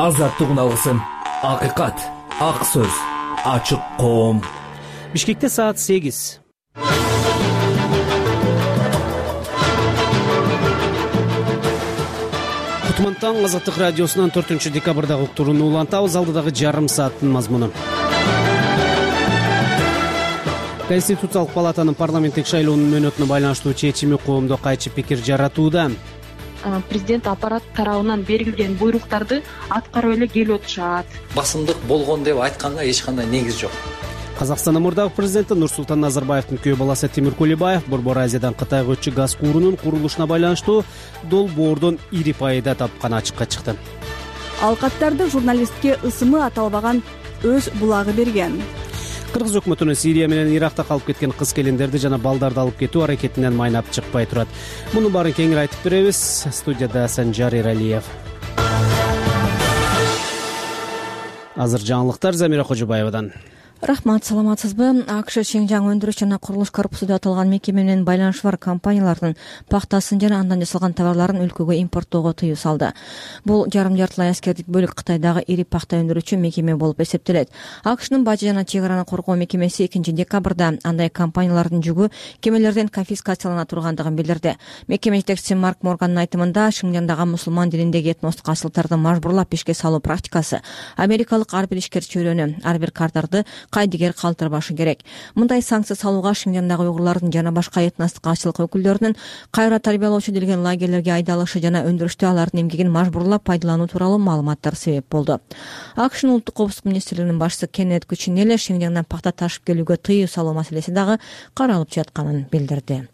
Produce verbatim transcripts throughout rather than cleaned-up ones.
азаттык уналсын. Акыйкат, ак сөз, ачык коом. Бишкекте саат сегиз. Кутмантан Азаттык радиосунан төртүнчү декабрдагы уктурууну улантабыз. Алдыдагы жарым сааттын мазмуну. Конституциялык палатанын парламенттик шайлоонун мөөнөтүнө байланыштуу чечими коомдо кайчы пикир жаратууда. Президент аппарат тарабынан берилген буйруктарды аткарып эле келип отушат. Басымдык болгон деп айтканга эч кандай негиз жок. Казакстандын мурдагы президенти Нурсултан Назарбаевдин күйөө баласы Тимир Кулебаев Борбор Азиядан Кытайга өтчү газ куурунун курулушуна байланыштуу долбоордон ири пайда тапканы ачыкка чыкты. Ал каттарды журналистке ысымы аталбаган өз булагы берген. Кыргыз өкмөтүнүн Сирия менен Иракта калып кеткен кыз-келиндерди жана балдарды алып кетүү аракетинен майнап чыкпай турат. Муну баарын кеңири айтып беребиз. Студияда Санжар Иралиев. Азыр жаңылыктар Замира Кожобаевадан. Рахмат, саламатсызбы? АКШ Шыңжаң өндүрүш жана курулуш корпусу деп аталган мекеме менен байланышы бар компаниялардын пахтасын жана андан жасалган товарларын өлкөгө импорттоого тыюу салды. Бул жарым жартылай аскердик бөлүк Кытайдагы ири пахта өндүрүүчү мекеме болуп эсептелет. АКШнын бажы жана чек араны коргоо мекемеси экинчи декабрда андай компаниялардын жүгү кемелерден конфискациялана тургандыгын билдирди. Мекеме жетекчиси Марк Моргандын айтымында, Шыңжаңдагы мусулман дилиндеги этностук асылтарды мажбурлап ишке салуу практикасы америкалык ар бир ишкер чөйрөнү, ар бир кардарды кайдыгер калтырбашы керек. Мындай санкция салууга Шыңжаңдагы уйгурлардын жана башка этностук ачылык өкүлдөрүнүн кайра тарбиялоочу делген лагерлерге айдалышы жана өндүрүштө алардын эмгегин мажбурлап пайдалануу тууралуу маалыматтар себеп болду. АКШнын улуттук коопсуздук министрлигинин башчысы Кеннет Кучинелли Шыңжаңдан пахта ташып келүүгө тыюу салуу маселеси дагы каралып жатканын билдирди.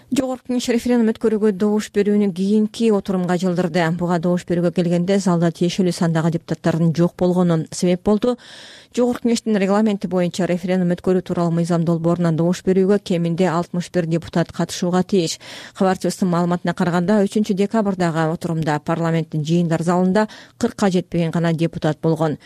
Жогорку Кеңеш референдум өткөрүүгө добуш берүүнү кийинки отурумга жылдырды. Буга добуш берүүгө келгенде залда тиешелүү сандагы депутаттардын жок болгону себеп болду. Жогорку Кеңештин регламенти боюнча референдум өткөрүү тууралуу мыйзам долбоорунан добуш берүүгө кеминде алтымыш бир депутат катышууга тийиш. Кабарчыбыздын маалыматына караганда үчүнчү декабрдагы отурумда парламенттин жыйындар залында кыркка жетпеген гана депутат болгон.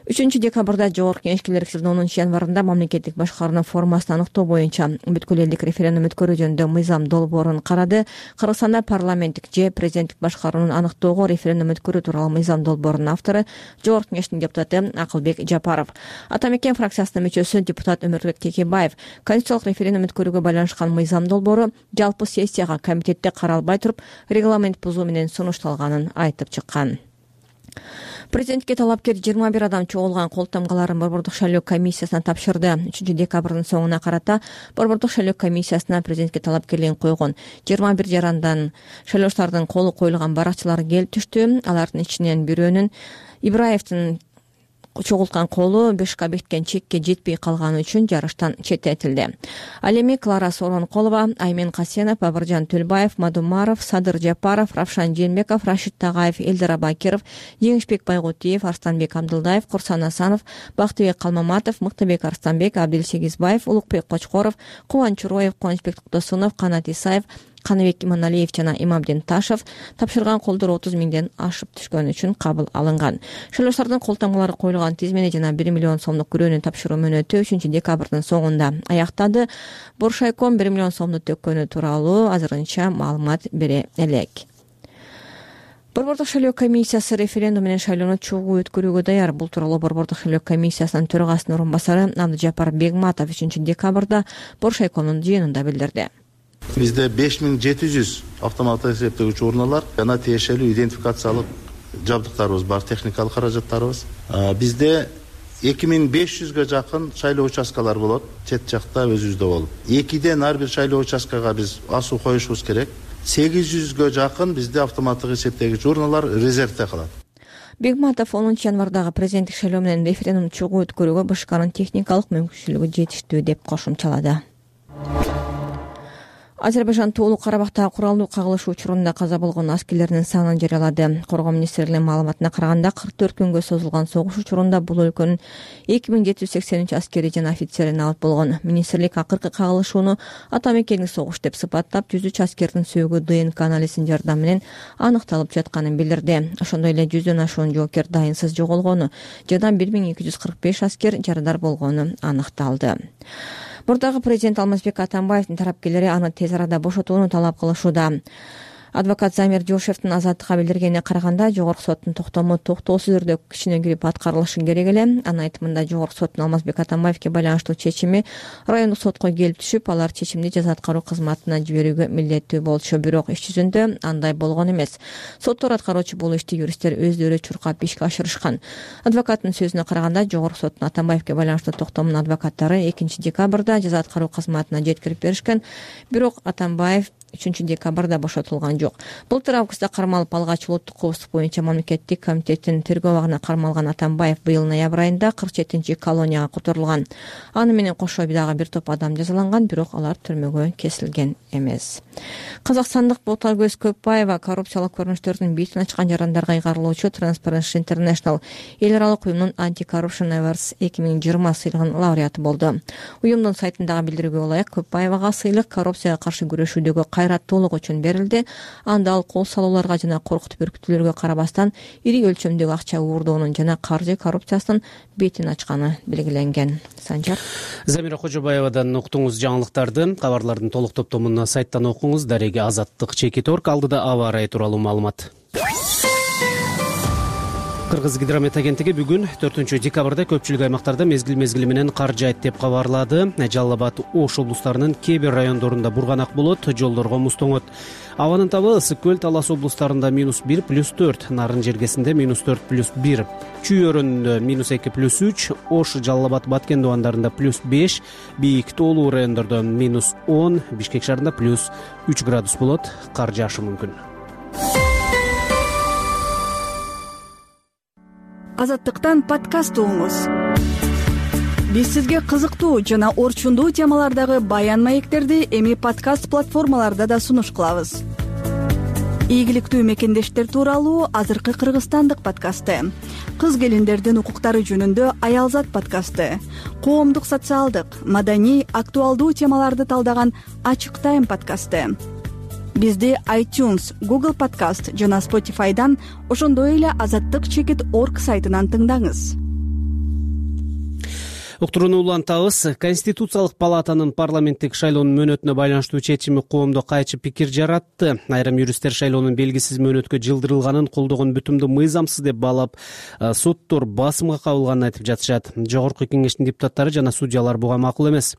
үчүнчү декабрда Жогорку Кеңешке элүү онунчу январында мамлекеттик башкаруунун формасын аныктоо боюнча бүткүл элдик референдум өткөрүү жөнүндө мыйзам долбоорун карады. Кыргызстанда парламенттик же президенттик башкаруунун аныктоого референдум өткөрүү тууралуу мыйзам долбоорунун автору Жогорку Кеңештин депутаты Акылбек Жапаров. Ата мекен фракциясынын мүчөсү депутат Өмүрбек Текебаев конституциялык референдум өткөрүүгө байланышкан мыйзам долбоору жалпы сессияга комитетте каралбай туруп регламент бузуу менен сунушталганын айтып чыккан. Президентке талапкер жыйырма бир адам чогулган кол тамгаларын Борбордук шайлоо комиссиясына тапшырды. үчүнчү декабрдын соңуна карата Борбордук шайлоо комиссиясына президентке талапкерлигин койгон жыйырма бир жарандан шайлоочулардын колу коюлган баракчылар келип түштү. Алардын ичинен бирөөнүн Ибраевдин чогулткан колу бешка бекиткен чекке жетпей калганы үчүн жарыштан четтетилди. Ал эми Клара Соронколова, Аймен Касенов, Бабыржан Төлбаев, Мадумаров, Садыр Жапаров, Равшан Жээнбеков, Рашид Тагаев, Элдер Абакиров, Жеңишбек Байгутиев, Арстанбек Абдылдаев, Курсан Асанов, Бактыбек Калмаматов, Мыктыбек Арстанбек, Абдилсегизбаев, Улукбек Кочкоров, Кубанч Чуроев, Кубанычбек Токтосунов, Канат Исаев, Каныбек Иманалиев жана Имамдин Ташев тапшырган колдор отуз миңден ашып түшкөн үчүн кабыл алынган. Шайлоочулардын кол тамгалары коюлган тизмени жана бир миллион сомдук күрөөнү тапшыруу мөөнөтү үчүнчү декабрдын соңунда аяктады. Боршайком бир миллион сомду төккөнү тууралуу азырынча маалымат бере элек. Борбордук шайлоо комиссиясы референдум менен шайлоону чогуу өткөрүүгө даяр. Бул тууралуу Борбордук шайлоо комиссиясынын төрагасынын орун басары Абдыжапар Бегматов үчүнчү декабрда Боршайкомдун жыйынында билдирди. Бизде беш миң жети жүз автоматтык эсептегич урналар жана тиешелүү идентификациялык жабдыктарыбыз бар, техникалык каражаттарыбыз. Бизде эки миң беш жүзгө жакын шайлоо участкалар болот, чет жакта өзүбүздө болуп. экиден ар бир шайлоо участкага биз асуу коюшубуз керек. сегиз жүзгө жакын бизде автоматтык эсептегич урналар резервде калат. Бегматов онунчу январдагы президенттик шайлоо менен референдум чогуу өткөрүүгө БШКнын техникалык мүмкүнчүлүгү жетиштүү деп кошумчалады. Азербайжан Тоолуу Карабактагы куралдуу кагылыш учурунда каза болгон аскерлердин санын жарыялады. Коргоо министрлигинин маалыматына караганда кырк төрт күнгө созулган согуш учурунда бул өлкөнүн эки миң жети жүз сексен үч аскери жана офицери набыт болгон. Министрлик акыркы кагылышууну ата мекендик согуш деп сыпаттап, жүз үч аскердин сөөгү ДНК анализинин жардамы менен аныкталып жатканын билдирди. Ошондой эле жүздөн ашуун жоокер дайынсыз жоголгону жана бир миң эки жүз кырк беш аскер жарадар болгону аныкталды. Мурдагы президент Алмазбек Атамбаевдин тарапкерлери аны тез арада бошотууну талап кылышууда. Адвокат Замир Жошевдин Азаттыкка билдиргенине караганда, жогорку соттун токтому токтоосуз түрдө кичинегирип аткарылышы керек эле. Анын айтымында, жогорку соттун Алмазбек Атамбаевге байланыштуу чечими райондук сотко келип түшүп, алар чечимди жаза аткаруу кызматына жиберүүгө милдеттүү болчу. Бирок иш жүзүндө андай болгон эмес. Соттор аткаруучу бул ишти юристтер өздөрү чуркап ишке ашырышкан. Адвокаттын сөзүнө караганда, жогорку соттун Атамбаевге байланыштуу токтомунун адвокаттары экинчи декабрда жаза аткаруу кызматына жеткирип беришкен. Бирок Атамбаев үчүнчү декабрда бошотулган жок. Былтыр августта кармалып алгач улуттук коопсуздук боюнча мамлекеттик комитеттин тергөө абагына кармалган Атамбаев быйыл ноябрь айында кырк жетинчи колонияга которулган. Аны менен кошо дагы бир топ адам жазаланган, бирок алар түрмөгө кесилген эмес. Казакстандык Боталкөз Көпбаева коррупциялык көрүнүштөрдүн бетин ачкан жарандарга ыйгарылуучу Transparency International эл аралык уюмдун Anti-Corruption Awards эки миң жыйырма сыйлыгынын лауреаты болду. Уюмдун сайтындагы билдирүүгө ылайык, Көпбаевага сыйлык коррупцияга каршы күрөшүүдөгү кайраттуулук үчүн берилди. Анда ал кол салууларга жана коркутуп үркүтүүлөргө карабастан ири өлчөмдөгү акча уурдоонун жана каржы коррупциясынын бетин ачканы белгиленген. Санжар Замира Кожобаевадан уктуңуз жаңылыктарды. Кабарлардын толук топтомуна сайттан окуңуз. Дареги Азаттык чекит орг. Алдыда аба ырайы тууралуу маалымат. Кыргыз гидромет агенттиги бүгүн төртүнчү декабрда көпчүлүк аймактарда мезгил мезгили менен кар жаайт деп кабарлады. Жалал Абад, Ош облустарынын кээ бир райондорунда бурганак болот, жолдорго муз тоңот. Абанын табы Ысык көл, Талас облустарында минус бир плюс төрт, Нарын жергесинде минус төрт плюс бир, Чүй өрөөнүндө минус эки плюс үч, Ош, Жалал Абад, Баткен дубандарында плюс беш, Бийик тоолуу райондордо минус он, Бишкек шаарында плюс үч градус болот. Кар жаашы мүмкүн. Азаттыктан подкаст угуңуз. Биз сизге кызыктуу жана орчундуу темалардагы баян маектерди эми подкаст платформаларда да сунуш кылабыз. Ийгиликтүү мекендештер тууралуу азыркы кыргызстандык подкасты, кыз келиндердин укуктары жөнүндө Аялзат подкасты, коомдук, социалдык, маданий, актуалдуу темаларды талдаган Ачык Тайм подкасты. Бизди iTunes, Google Podcast жана Spotify'дан, ошондой эле азаттык чекит орг сайтынан тыңдаңыз. Уктурууну улантабыз. Конституциялык палатанын парламенттик шайлоонун мөөнөтүнө байланыштуу чечими коомдо кайчы пикир жаратты. Айрым юристтер шайлоонун белгисиз мөөнөткө жылдырылганын колдогон бүтүмдү мыйзамсыз деп баалап, соттор басымга кабылганын айтып жатышат. Жогорку кеңештин депутаттары жана судьялар буга макул эмес.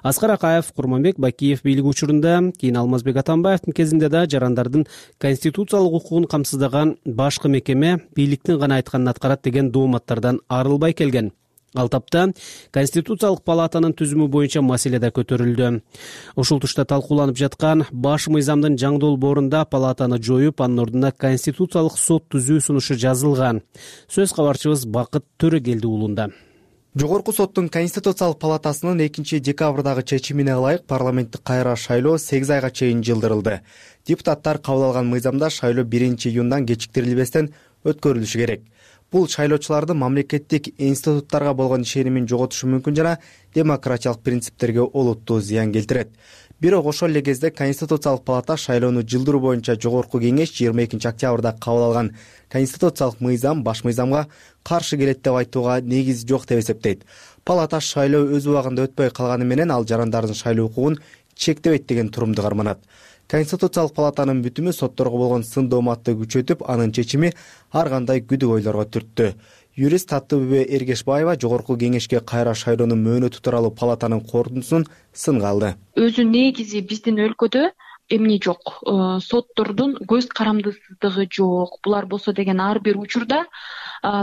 Аскар Акаев, Курманбек Бакиев бийлик учурунда, кийин Алмазбек Атамбаевдин кезинде да жарандардын конституциялык укугун камсыздаган башкы мекеме бийликтин гана айтканын аткарат деген дооматтардан арылбай келген. Ал тапта Конституциялык палатанын түзүмү боюнча маселе да көтөрүлдү. Ушул тушта талкууланып жаткан баш мыйзамдын жаңы долбоорунда палатаны жоюп, анын ордуна конституциялык сот түзүү сунушу жазылган. Сөз кабарчыбыз Бакыт Төрөгелди уулунда. Жогорку соттун Конституциялык палатасынын экинчи декабрдагы чечимине ылайык парламенттик кайра шайлоо сегиз айга чейин жылдырылды. Депутаттар кабыл алган мыйзамда шайлоо биринчи июндан кечиктирилбестен өткөрүлүшү керек. Бул шайлоочулардын мамлекеттик институттарга болгон ишенимин жоготушу мүмкүн жана демократиялык принциптерге олуттуу зыян келтирет. Бирок ошол эле кезде Конституциялык палата шайлоону жылдыруу боюнча жогорку кеңеш жыйырма экинчи октябрда кабыл алган конституциялык мыйзам баш мыйзамга каршы келет деп айтууга негиз жок деп эсептейт. Палата шайлоо өз убагында өтпөй калганы менен ал жарандардын шайлоо укугун чектебейт деген турумду карманат. Конституциялык палатанын бүтүмү сотторго болгон сын дооматты күчөтүп, анын чечими ар кандай күдүк ойлорго түрттү. Юрист Таттыбүбө Эргешбаева жогорку кеңешке кайра шайлоонун мөөнөтү тууралуу палатанын корутундусун сынга алды. Өзү негизи биздин өлкөдө эмне жок, соттордун көз карамдысыздыгы жок. Булар болсо деген ар бир учурда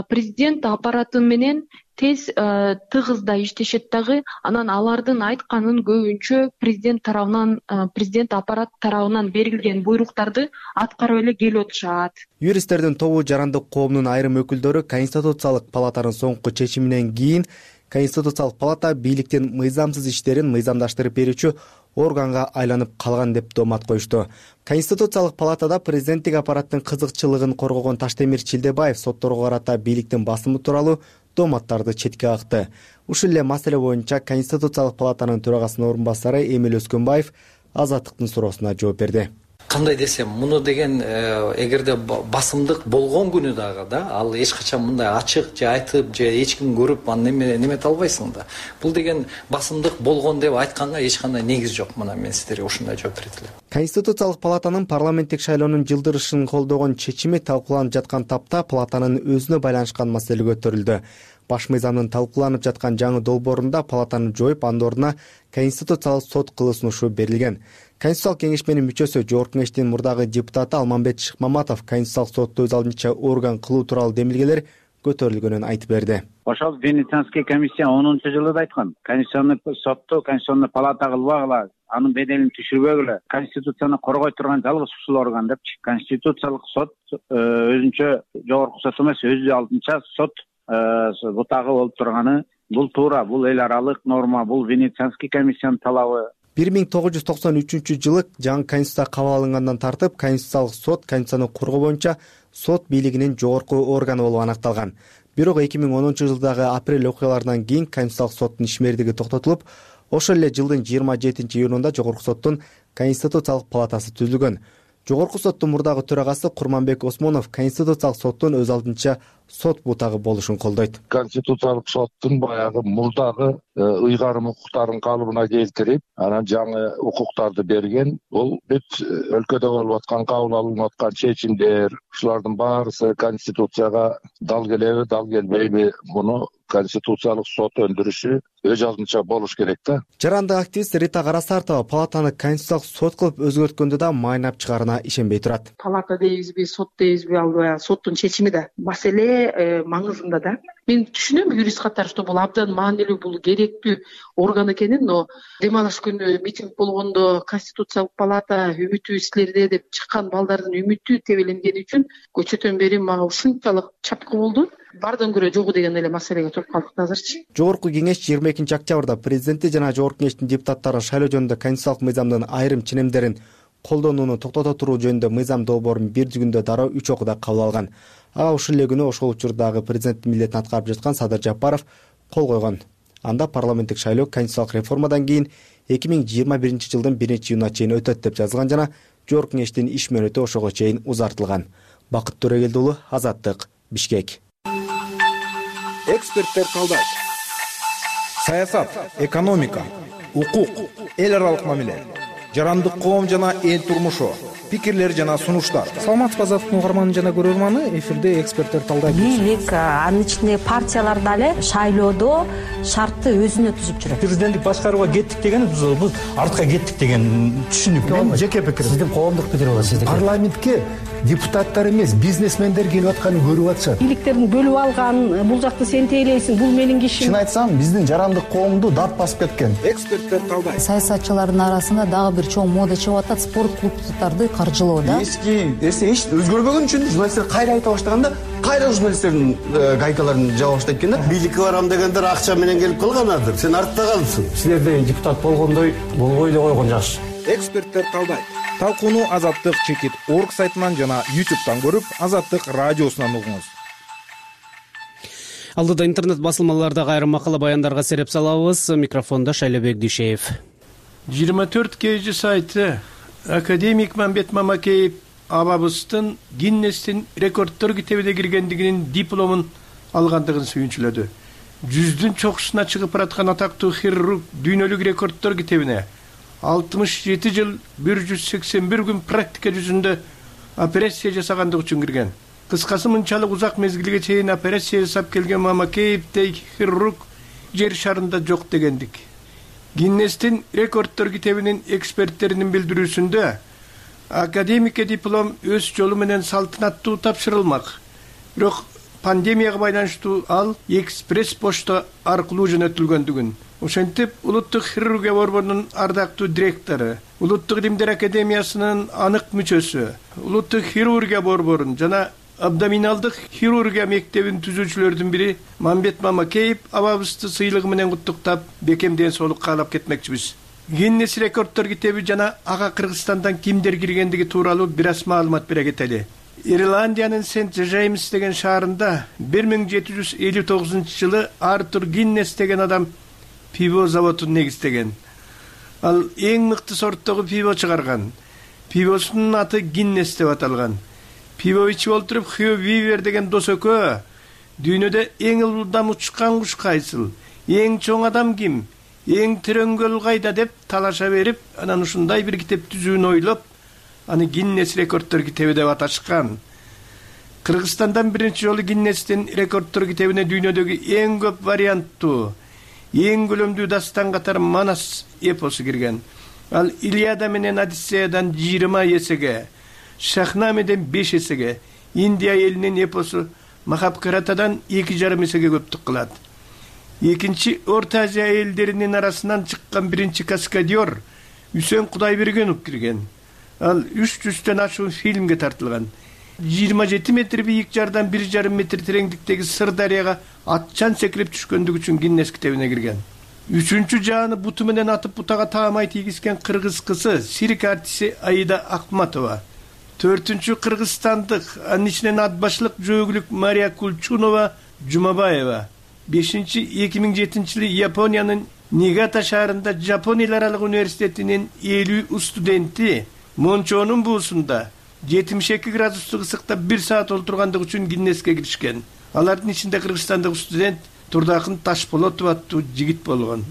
президент аппараты менен тез тыгызда иштешет дагы, анан алардын айтканын көбүнчө президент тарабынан, президент аппарат тарабынан берилген буйруктарды аткарып эле келип отушат. Юристтердин тобу жарандык коомдун айрым өкүлдөрү Конституциялык палатанын соңку чечиминен кийин Конституциялык палата бийликтин мыйзамсыз иштерин мыйзамдаштырып берүүчү органга айланып калган деп доомат коюшту. Конституциялык палатада президенттик аппараттын кызыкчылыгын коргогон Таштемир Чилдебаев сотторго карата бийликтин басымы тууралуу дооматтарды четке какты. Ушул эле маселе боюнча Конституциялык палатанын төрагасынын орун басары Эмил Өскөнбаев Азаттыктын суроосуна жооп берди. кандай десем, муну деген эгерде басымдык болгон күнү дагы да ал эч качан мындай ачык же айтып же эч ким көрүп аны немете албайсың да. Бул деген басымдык болгон деп айтканга эч кандай негиз жок. Мына мен сиздерге ушундай жооп берет элем. Конституциялык палатанын парламенттик шайлоонун жылдырышын колдогон чечими талкууланып жаткан тапта палатанын өзүнө байланышкан маселе көтөрүлдү. Баш мыйзамдын талкууланып жаткан жаңы долбоорунда палатаны жоюп, андын ордуна Конституциялык сот кылуу сунушу берилген. Конституциялык кеңешменин мүчөсү, Жогорку Кеңештин мурдагы депутаты Алмамбет Шыкмаматов Конституциялык сотто өз алдынча орган кылуу тууралуу демилгелер көтөрүлгөнүн айтып берди. Ошол Венецианский комиссия онунчу жылы да айткан. Конституционный сотто Конституционный палата кылбагыла, анын беделин түшүрбөгүлө, Конституцияны коргой турган жалгыз ушул орган депчи. Конституциялык сот өзүнчө жогорку сот эмес, өзү алдынча сот бутагы болуп турганы бул туура, бул эл аралык норма, бул Венецианский комиссиянын талабы. бир миң тогуз жүз токсон үчүнчү жылы жаңы конституция кабыл алынгандан тартып, Конституциялык сот Конституцияны коргоо боюнча сот бийлигинин жогорку органы болуп аныкталган. Бирок эки миң онунчу жылдагы апрель окуяларынан кийин Конституциялык соттун ишмердиги токтотулуп, ошол эле жылдын жыйырма жетинчи июнунда Жогорку соттун Конституциялык палатасы түзүлгөн. Жогорку соттун мурдагы төрагасы Курманбек Осмонов Конституциялык соттун өз алдынча сот бутагы болушун колдойт. Конституциялык соттун баягы мурдагы ыйгарым укуктарын калыбына келтирип, анан жаңы укуктарды берген. Бул бүт өлкөдө болуп аткан, кабыл алынып аткан чечимдер, ушулардын баарысы Конституцияга дал келеби, дал келбейби, муну Конституциялык сот өндүрүшү өз алдынча болуш керек да. Жарандык активист Рита Карасартова палатаны Конституциялык сот кылып өзгөрткөндө да майнап чыгарына ишенбей турат. Палата дейбизби, сот дейбизби, ал баягы соттун чечими да. Маселе маңызында да. Мен түшүнөм юрист катары, что бул абдан маанилүү, бул керектүү орган экенин, но дем алыш күнү митинг болгондо Конституциялык палата үмүтү силерде деп чыккан балдардын үмүтү тебеленгени үчүн көчөтөн бери мага ушунчалык чапкы болду. Баардан көрө жогу деген эле маселеге туруп калдык азырчы. Жогорку кеңеш жыйырма экинчи октябрда президенти жана Жогорку кеңештин депутаттары шайлоо жөнүндө Конституциялык мыйзамдын айрым ченемдерин колдонууну токтото туруу жөнүндө мыйзам долбоорун бир күндө дароо үч окууда кабыл алган. Ага ушул эле күнү ошол учурдагы президенттин милдетин аткарып жаткан Садыр Жапаров кол койгон. Анда парламенттик шайлоо конституциялык реформадан кийин эки миң жыйырма биринчи жылдын биринчи июнуна чейин өтөт деп жазылган жана Жогорку кеңештин иш мөөнөтү ошого чейин узартылган. Бакыт Төрөгелди уулу, Азаттык, Бишкек. Эксперттер талдайт. Саясат, экономика, укук, эл аралык мамиле, жарандык коом жана эл турмушу, пикирлер жана сунуштар. Саламатсызбы Азаттык угарманы жана көрөрманы, эфирде эксперттер талдайт. Бийлик, анын ичинде партиялар дагы шайлоодо шартты өзүнө түзүп жүрөт. Президенттик башкарууга кеттик деген биз артка кеттик деген түшүнүк. Мен жеке пикирим. Сиздин коомдук пикир болот, сиздики. Парламентке депутаттар эмес, бизнесмендер келип атканын көрүп атышат. Бийликтердин бөлүп алган, бул жакты сен тейлейсиң, бул менин кишим. Чын айтсам, биздин жарандык коомду дат басып кеткен. Эксперттер талдайт. Саясатчылардын арасында дагы бир чоң мода чыгып атат, спорт клубдарды каржылоо да. Эски эсе эч өзгөрбөгөн үчүн журналисттер кайра айта баштаганда, кайра журналисттердин гайкаларын жаба баштайт экен да. Бийликке барам дегендер акча менен келип калганадыр. Сен артта калдың. Силерде депутат болгондой болбой эле койгон жакшы. Эксперттер талдайт. Талкууну Азаттык чекит орг сайтынан жана ютубтан көрүп, Азаттык радиосунан угуңуз. Алдыда интернет басылмалардагы айрым макала баяндарга сереп салабыз. Микрофондо Шайлебек Дүйшеев. жыйырма төрт кей жи сайты академик Мамбет Мамакеев абабыздын Гиннестин рекордтор китебине киргендигинин дипломун алгандыгын сүйүнчүлөдү. Жүздүн чокусуна чыгып бараткан атактуу хирург дүйнөлүк рекордтор китебине алтымыш жети жыл бир жүз сексен бир күн практика жүзүндө операция жасагандык үчүн кирген. Кыскасы мынчалык узак мезгилге чейин операция жасап келген Мамакеевдей хирург жер шарында жок дегендик. Гиннестин рекордтор китебинин эксперттеринин билдирүүсүндө академикке диплом өз жолу менен салтанаттуу тапшырылмак. Бирок пандемияга байланыштуу ал экспресс почта аркылуу жөнөтүлгөндүгүн. Ошентип, Улуттук хирургия борборунун ардактуу директору, Улуттук илимдер академиясынын анык мүчөсү, Улуттук хирургия борборун жана абдоминалдык хирургия мектебин түзүүчүлөрдүн бири Мамбет Мамакеев абабызды сыйлыгы менен куттуктап, бекем ден соолук каалап кетмекчибиз. Гиннес рекордтор китеби жана ага Кыргызстандан кимдер киргендиги тууралуу бир аз маалымат бере кетели. Ирландиянын Сент Джеймс деген шаарында бир миң жети жүз элүү тогузунчу жылы Артур Гиннес деген адам пиво заводун негиздеген. Ал эң мыкты сорттогу пиво чыгарган. пивосунун аты Гиннес деп аталган. Пиво ичип отуруп Хью Вивер деген дос экөө дүйнөдө эң ылдам учкан куш кайсыл, эң чоң адам ким, эң терең көл кайда деп талаша берип, анан ушундай бир китеп түзүүнү ойлоп, аны Гиннес рекордтор китеби деп аташкан. Кыргызстандан биринчи жолу Гиннестин рекордтор китебине дүйнөдөгү эң көп варианттуу, эң көлөмдүү дастан катары Манас эпосу кирген. Ал Илиада менен Одиссеядан жыйырма эсеге, Шахнамеден беш эсеге, Индия элинин эпосу Махабхаратадан эки жарым эсеге көптүк кылат. Экинчи Орто Азия элдеринин арасынан чыккан биринчи каскадер Үсөн Кудайбергенов кирген. Ал үч жүздөн ашуун фильмге тартылган. жыйырма жети метр бийик жардан бир жарым метр тереңдиктеги Сыр дарыяга атчан секирип түшкөндүгү үчүн Гиннес китебине кирген. Үчүнчү жааны буту менен атып бутага таамай тийгизген кыргыз кызы цирк артисти Аида Акматова. Төртүнчү кыргызстандык, анын ичинен атбашлык жөөгүлүк Мария Кулчунова Жумабаева. Бешинчи эки миң жетинчи жылы Япониянын Нигата шаарында Жапон эл аралык университетинин элүү студенти Мончонун буусунда жетимиш эки градустук ысыкта бир саат олтургандыгы үчүн Гиннеске киришкен. Алардын ичинде кыргызстандык студент Турдакын Ташполотов аттуу жигит болгон.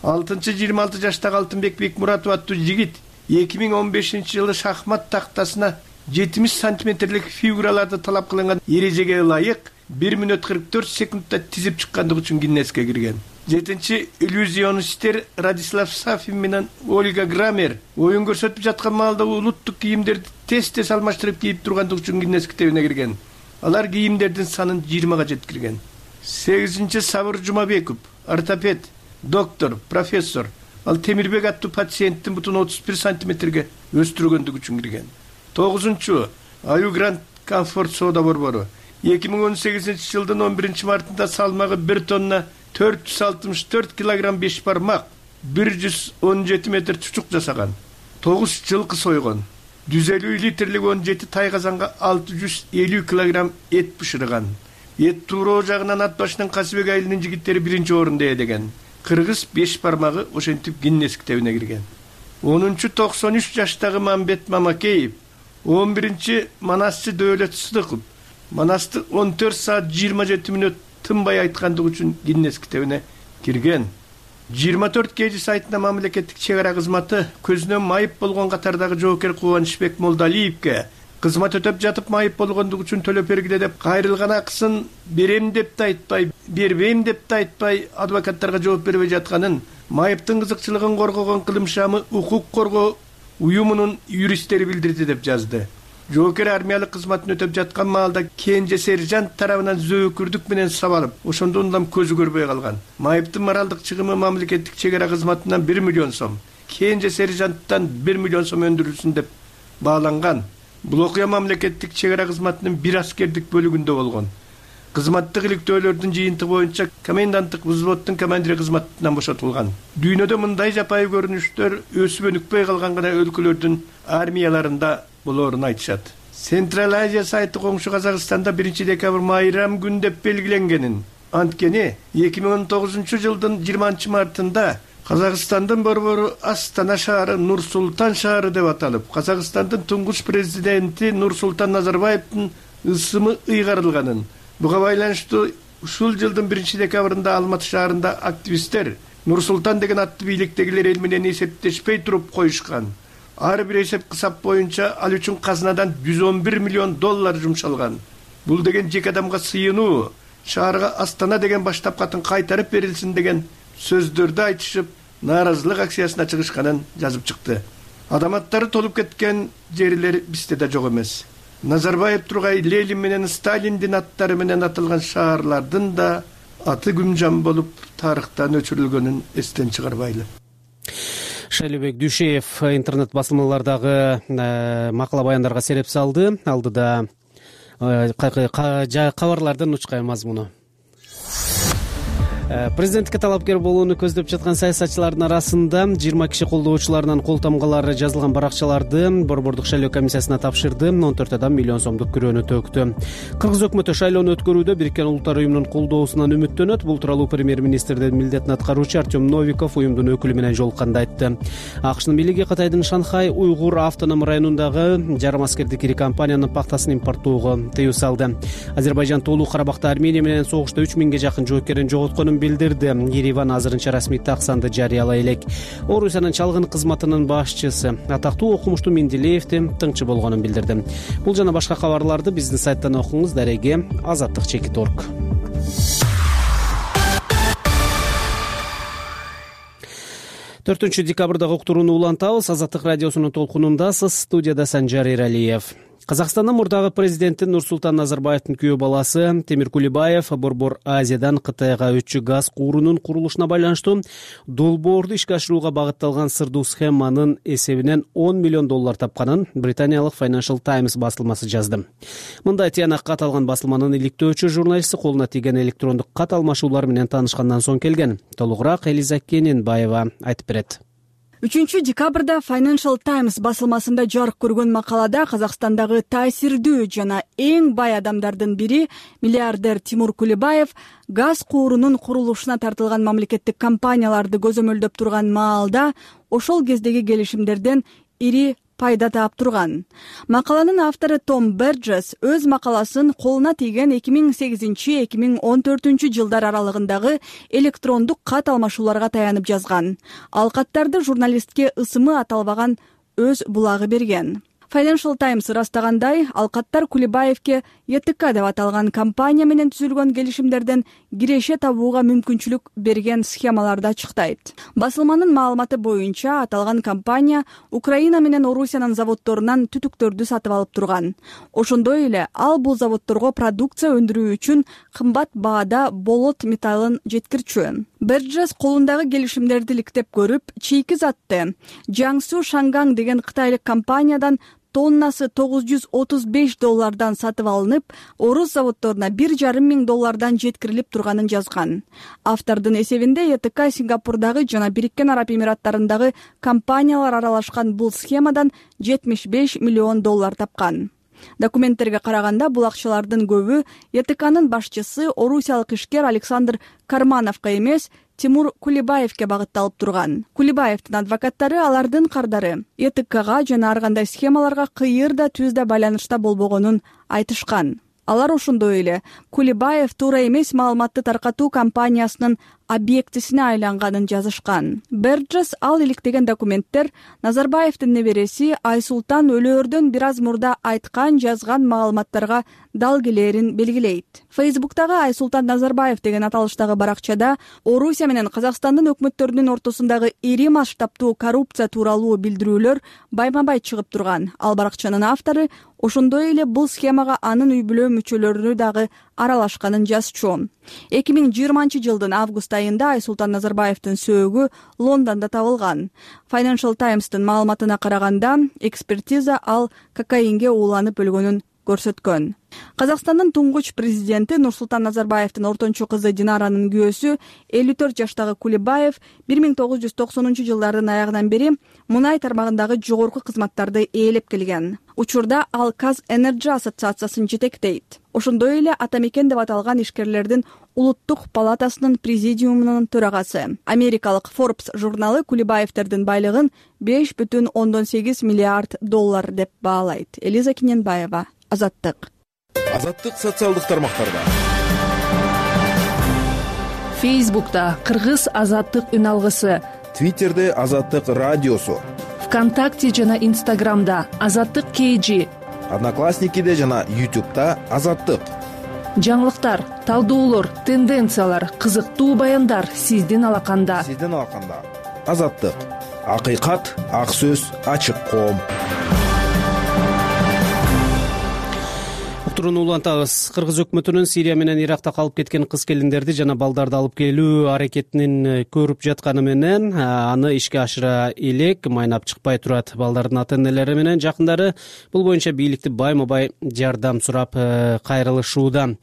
алтынчы жыйырма алты жаштагы Алтынбек Бекмуратов аттуу жигит эки миң он бешинчи жылы шахмат тактасына жетимиш сантиметрлик фигураларды талап кылынган эрежеге ылайык бир мүнөт кырк төрт секундта тизип чыккандыгы үчүн Гиннеске кирген. Жетинчи иллюзионисттер Радислав Сафин менен Ольга Грамер оюн көрсөтүп жаткан маалда улуттук кийимдерди тез-тез алмаштырып кийип тургандыгы үчүн Гиннес китебине кирген. Алар кийимдердин санын жыйырмага жеткирген. сегизинчи Сабыр Жумабеков, ортопед, доктор, профессор. Ал Темирбек аттуу пациенттин бутун отуз бир сантиметрге өстүргөндүгү үчүн кирген. тогузунчу Аю Гранд Комфорт соода борбору эки миң он сегизинчи жылдын он биринчи мартында салмагы бир тонна төрт жүз алтымыш төрт килограмм беш бармак, бир жүз он жети метр чучук жасаган. тогуз жылкы сойгон. жүз элүү литрлик он жети тай казанга алты жүз элүү килограмм эт бышырган. Эт тууроо жагынан ат башынын Касыбек айылынын жигиттери биринчи орунда эдеген. Кыргыз беш бармагы ошентип Гиннес китебине кирген. онунчу токсон үч жаштагы Мамбет Мамакеев, он биринчи Манасчы Дөөлөт Сыдыков, Манасты он төрт саат жыйырма жети мүнөт тынбай айткандыгы үчүн Гиннес китебине кирген. жыйырма төрт кж сайтына мамлекеттик чек ара кызматы көзүнөн майып болгон катардагы жоокер Кубанычбек Молдалиевке кызмат өтөп жатып майып болгондугу үчүн төлөп бергиле деп кайрылган акысын берем деп да айтпай, бербейм деп да айтпай адвокаттарга жооп бербей жатканын, майыптын кызыкчылыгын коргогон Кылымшамы укук коргоо уюмунун юристтери билдирди деп жазды. Жоокер армиялык кызматын өтөп жаткан маалда кенже сержант тарабынан зөөкүрдүк менен сабалып, ошондон улам көзү көрбөй калган. Майыптын моралдык чыгымы мамлекеттик чек ара кызматынан бир миллион сом, кенже сержанттан бир миллион сом өндүрүлсүн деп бааланган. Бул окуя мамлекеттик чек ара кызматынын бир аскердик бөлүгүндө болгон. Кызматтык иликтөөлөрдүн жыйынтыгы боюнча коменданттык взводдун командири кызматынан бошотулган. Дүйнөдө мындай жапайы көрүнүштөр өсүп өнүкпөй калган гана өлкөлөрдүн армияларында болоорун айтышат. Централ Азия сайты коңшу Казакстанда биринчи декабрь майрам күн деп белгиленгенин, анткени эки миң он тогузунчу жылдын жыйырманчы мартында Казакстандын борбору Астана шаары Нур-Султан шаары деп аталып, Казакстандын туңгуч президенти Нурсултан Назарбаевдин ысымы ыйгарылганын. Буга байланыштуу ушул жылдын биринчи декабрында Алматы шаарында активисттер Нурсултан деген аттуу бийликтегилер эл менен эсептешпей туруп коюшкан. Ар бир эсеп кысап боюнча ал үчүн казынадан жүз он бир миллион доллар жумшалган. Бул деген жеке адамга сыйынуу, шаарга Астана деген баштапкатын кайтарып берилсин деген сөздөрдү айтышып, нааразылык акциясына чыгышканын жазып чыкты. Адам аттары толуп кеткен жерлер бизде да жок эмес. Назарбаев, Тургай, Ленин менен Сталиндин аттары менен аталган шаарлардын да аты күмжан болуп тарыхтан өчүрүлгөнүн эстен чыгарбайлы. Шайлообек Дүйшеев интернет басылмалардагы макала баяндарга сереп салды. Алдыда кабарлардын учкай мазмуну. Президенттикке талапкер болууну көздөп жаткан саясатчылардын арасында жыйырма киши колдоочуларынан кол тамгалары жазылган баракчаларды борбордук шайлоо комиссиясына тапшырды. он төрт адам миллион сомдук күрөөнү төктү. Кыргыз өкмөтү шайлоону өткөрүүдө Бириккен Улуттар уюмунун колдоосунан үмүттөнөт. Бул тууралуу премьер-министрдин милдетин аткаруучу Артем Новиков уюмдун өкүлү менен жолукканда айтты. АКШнын бийлиги Кытайдын Шанхай уйгур автоном районундагы жарым аскердик ири компаниянын пахтасын импорттоого тыюу салды. Азербайжан толук Карабакта Армения менен согушта үч миңге жакын жоокерин жоготконун билдирди. Ереван азырынча расмий таксанды жарыялай элек. Орусиянын чалгын кызматынын башчысы атактуу окумуштуу Менделеевдин тыңчы болгонун билдирди. Бул жана башка кабарларды биздин сайттан окуңуз. Дареге азаттык чекит орг. төртүнчү декабрдагы уктурууну улантабыз. Азаттык радиосунун толкунундасыз. Студияда Санжар Эралиев. Казакстандын мурдагы президенти Нурсултан Назарбаевдин күйөө баласы Темир Кулибаев Борбор Азиядан Кытайга өтчү газ куурунун курулушуна байланыштуу долбоорду ишке ашырууга багытталган сырдуу схеманын эсебинен он миллион доллар тапканын британиялык Financial Times басылмасы жазды. Мындай тыянак кат алган басылманын иликтөөчү журналисти колуна тийген электрондук кат алмашуулар менен таанышкандан соң келген. Толугураак Элиза Кененбаева айтып берет. үчүнчү декабрда Financial Times басылмасында жарык көргөн макалада Казакстандагы таасирдүү жана эң бай адамдардын бири миллиардер Тимур Кулибаев газ куурунун курулушуна тартылган мамлекеттик компанияларды көзөмөлдөп турган маалда ошол кездеги келишимдерден ири пайда таап турган. Макаланын автору Том Берджес өз макаласын колуна тийген эки миң сегизинчи эки миң он төртүнчү жылдар аралыгындагы электрондук кат алмашууларга таянып жазган. Ал каттарды журналистке ысымы аталбаган өз булагы берген. Financial Times ырастагандай, ал каттар Кулибаевке Е Т К деп аталган компания менен түзүлгөн келишимдерден киреше табууга мүмкүнчүлүк берген схемаларды ачыктайт. Басылманын маалыматы боюнча, аталган компания Украина менен Орусиянын заводдорунан түтүктөрдү сатып алып турган. Ошондой эле ал бул заводдорго продукция өндүрүү үчүн кымбат баада болот металлын жеткирчү. Берджес колундагы келишимдерди иликтеп көрүп, чийки затты Jiangsu Shangang деген кытайлык компаниядан тоннасы тогуз жүз отуз беш доллардан сатып алынып, орус заводдоруна бир жарым миң доллардан жеткирилип турганын жазган. Автордун эсебинде Е Т К Сингапурдагы жана Бириккен Араб Эмираттарындагы компаниялар аралашкан бул схемадан жетимиш беш миллион доллар тапкан. Документтерге караганда, бул акчалардын көбү Е Т К'нын башчысы орусиялык ишкер Александр Кармановго эмес, Тимур Кулибаевке багытталып турган. Кулибаевдин адвокаттары алардын кардары Е Т К'га жана ар кандай схемаларга кыйыр да түз да байланышта болбогонун айтышкан. Алар ошондой эле Кулибаев туура эмес маалыматты таркатуу компаниясынын объектисине айланганын жазышкан. Берджес ал иликтеген документтер Назарбаевдин небереси Айсултан өлөөрдөн бир аз мурда айткан, жазган маалыматтарга дал келээрин белгилейт. Фейсбуктагы Айсултан Назарбаев деген аталыштагы баракчада Орусия менен Казакстандын өкмөттөрүнүн ортосундагы ири масштабтуу коррупция тууралуу билдирүүлөр байма-бай чыгып турган. Ал баракчанын автору ошондой эле бул схемага анын үй бүлө мүчөлөрүнү дагы аралашканын жазчу. эки миң жыйырманчы жылдын август айында Айсултан Назарбаевдин сөөгү Лондондо табылган. Financial Times'тын маалыматына караганда, экспертиза ал кокаинге ууланып өлгөнүн көрсөткөн. Казакстандын туңгуч президенти Нурсултан Назарбаевдин ортончу кызы Динаранын күйөөсү элүү төрт жаштагы Кулибаев бир миң тогуз жүз токсонунчу жылдардын аягынан бери мунай тармагындагы жогорку кызматтарды ээлеп келген. Учурда ал Каз Энерджи ассоциациясын жетектейт. Ошондой эле Атамекен деп аталган ишкерлердин улуттук палатасынын президиумунун төрагасы. Америкалык Forbes журналы Кулибаевдердин байлыгын беш бүтүн ондон сегиз миллиард доллар деп баалайт. Элиза Кененбаева, Азаттык. Азаттык социалдык тармактарда. Фейсбукта Кыргыз Азаттык үн алгысы, Твиттерде Азаттык радиосу, ВКонтакте жана Инстаграмда Азаттык кей жи, Одноклассникиде жана Ютубта Азаттык. Жаңылыктар, талдоолор, тенденциялар, кызыктуу баяндар сиздин алаканда. Сиздин алаканда. Азаттык. Акыйкат, ак сөз, ачык коом. учуруну улантабыз. Кыргыз өкмөтүнүн Сирия менен Иракта калып кеткен кыз келиндерди жана балдарды алып келүү аракетин көрүп жатканы менен аны ишке ашыра элек майнап чыкпай турат. Балдардын ата-энелери менен жакындары бул боюнча бийликти байма-бай жардам сурап кайрылышууда.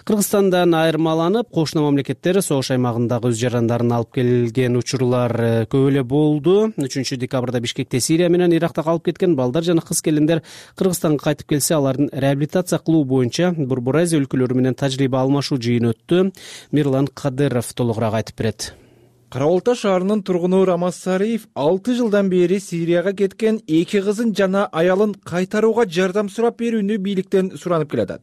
Кыргызстандан айырмаланып, кошуна мамлекеттер согуш аймагындагы өз жарандарын алып келген учурлар көп эле болду. үчүнчү декабрда Бишкекте Сирия менен Иракта калып кеткен балдар жана кыз келиндер Кыргызстанга кайтып келсе, алардын реабилитация кылуу боюнча Борбор Азия өлкөлөрү менен тажрыйба алмашуу жыйыны өттү. Мирлан Кадыров толугураак айтып берет. Кара Балта шаарынын тургуну Рамаз Сариев алты жылдан бери Сирияга кеткен эки кызын жана аялын кайтарууга жардам сурап берүүнү бийликтен суранып келатат.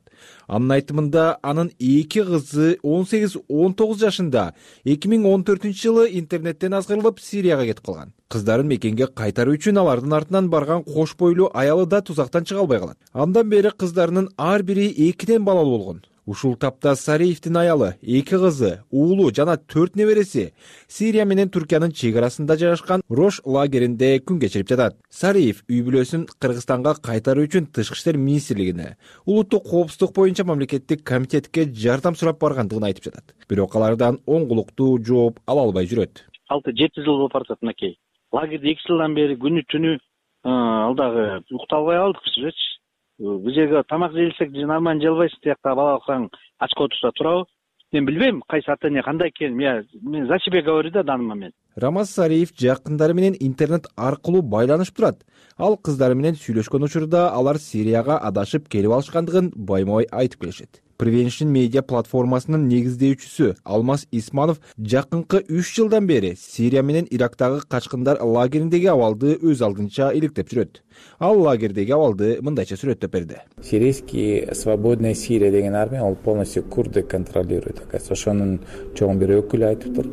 Анын айтымында, анын эки кызы он сегиз он тогуз жашында эки миң он төртүнчү жылы интернеттен азгырылып Сирияга кетип калган. Кыздарын мекенге кайтаруу үчүн алардын артынан барган кош бойлуу аялы да тузактан чыга албай калат. Андан бери кыздарынын ар бири экиден балалуу болгон. Ушул тапта Сариевдин аялы, эки кызы, уулу жана төрт небереси Сирия менен Түркиянын чек арасында жайгашкан Рош лагеринде күн кечирип жатат. Сариев үй бүлөсүн Кыргызстанга кайтаруу үчүн Тышкы иштер министрлигине, улуттук коопсуздук боюнча мамлекеттик комитетке жардам сурап баргандыгын айтып жатат. Бирок алардан оңгулуктуу жооп ала албай жүрөт. алты жети жыл болуп баратат мынакей. Лагерде эки жылдан бери күнү түнү ал дагы уктап албай калдык бизчи. Бул жерге тамак жейлсек нормально желбайсың, тиякта бала калган очко турса турабы? Мен билбейм кайсы ата-эне кандай экенин. Мен за себя говорю да данный момент. Рамаз Сариев жакындары менен интернет аркылуу байланышып турат. Ал кыздары менен сүйлөшкөн учурда алар Сирияга адашып келип алышкандыгын байма-бай айтып келишет. Prevention Media платформасынын негиздөөчүсү Алмаз Исманов жакынкы үч жылдан бери Сирия менен Ирактагы качкындар лагериндеги абалды өз алдынча иликтеп жүрөт. Ал лагердеги абалды мындайча сүрөттөп берди. Сирийский свободная Сирия деген армия, ол полностью курды контролирует. Ошонун чоң бир өкүлү айтыптыр.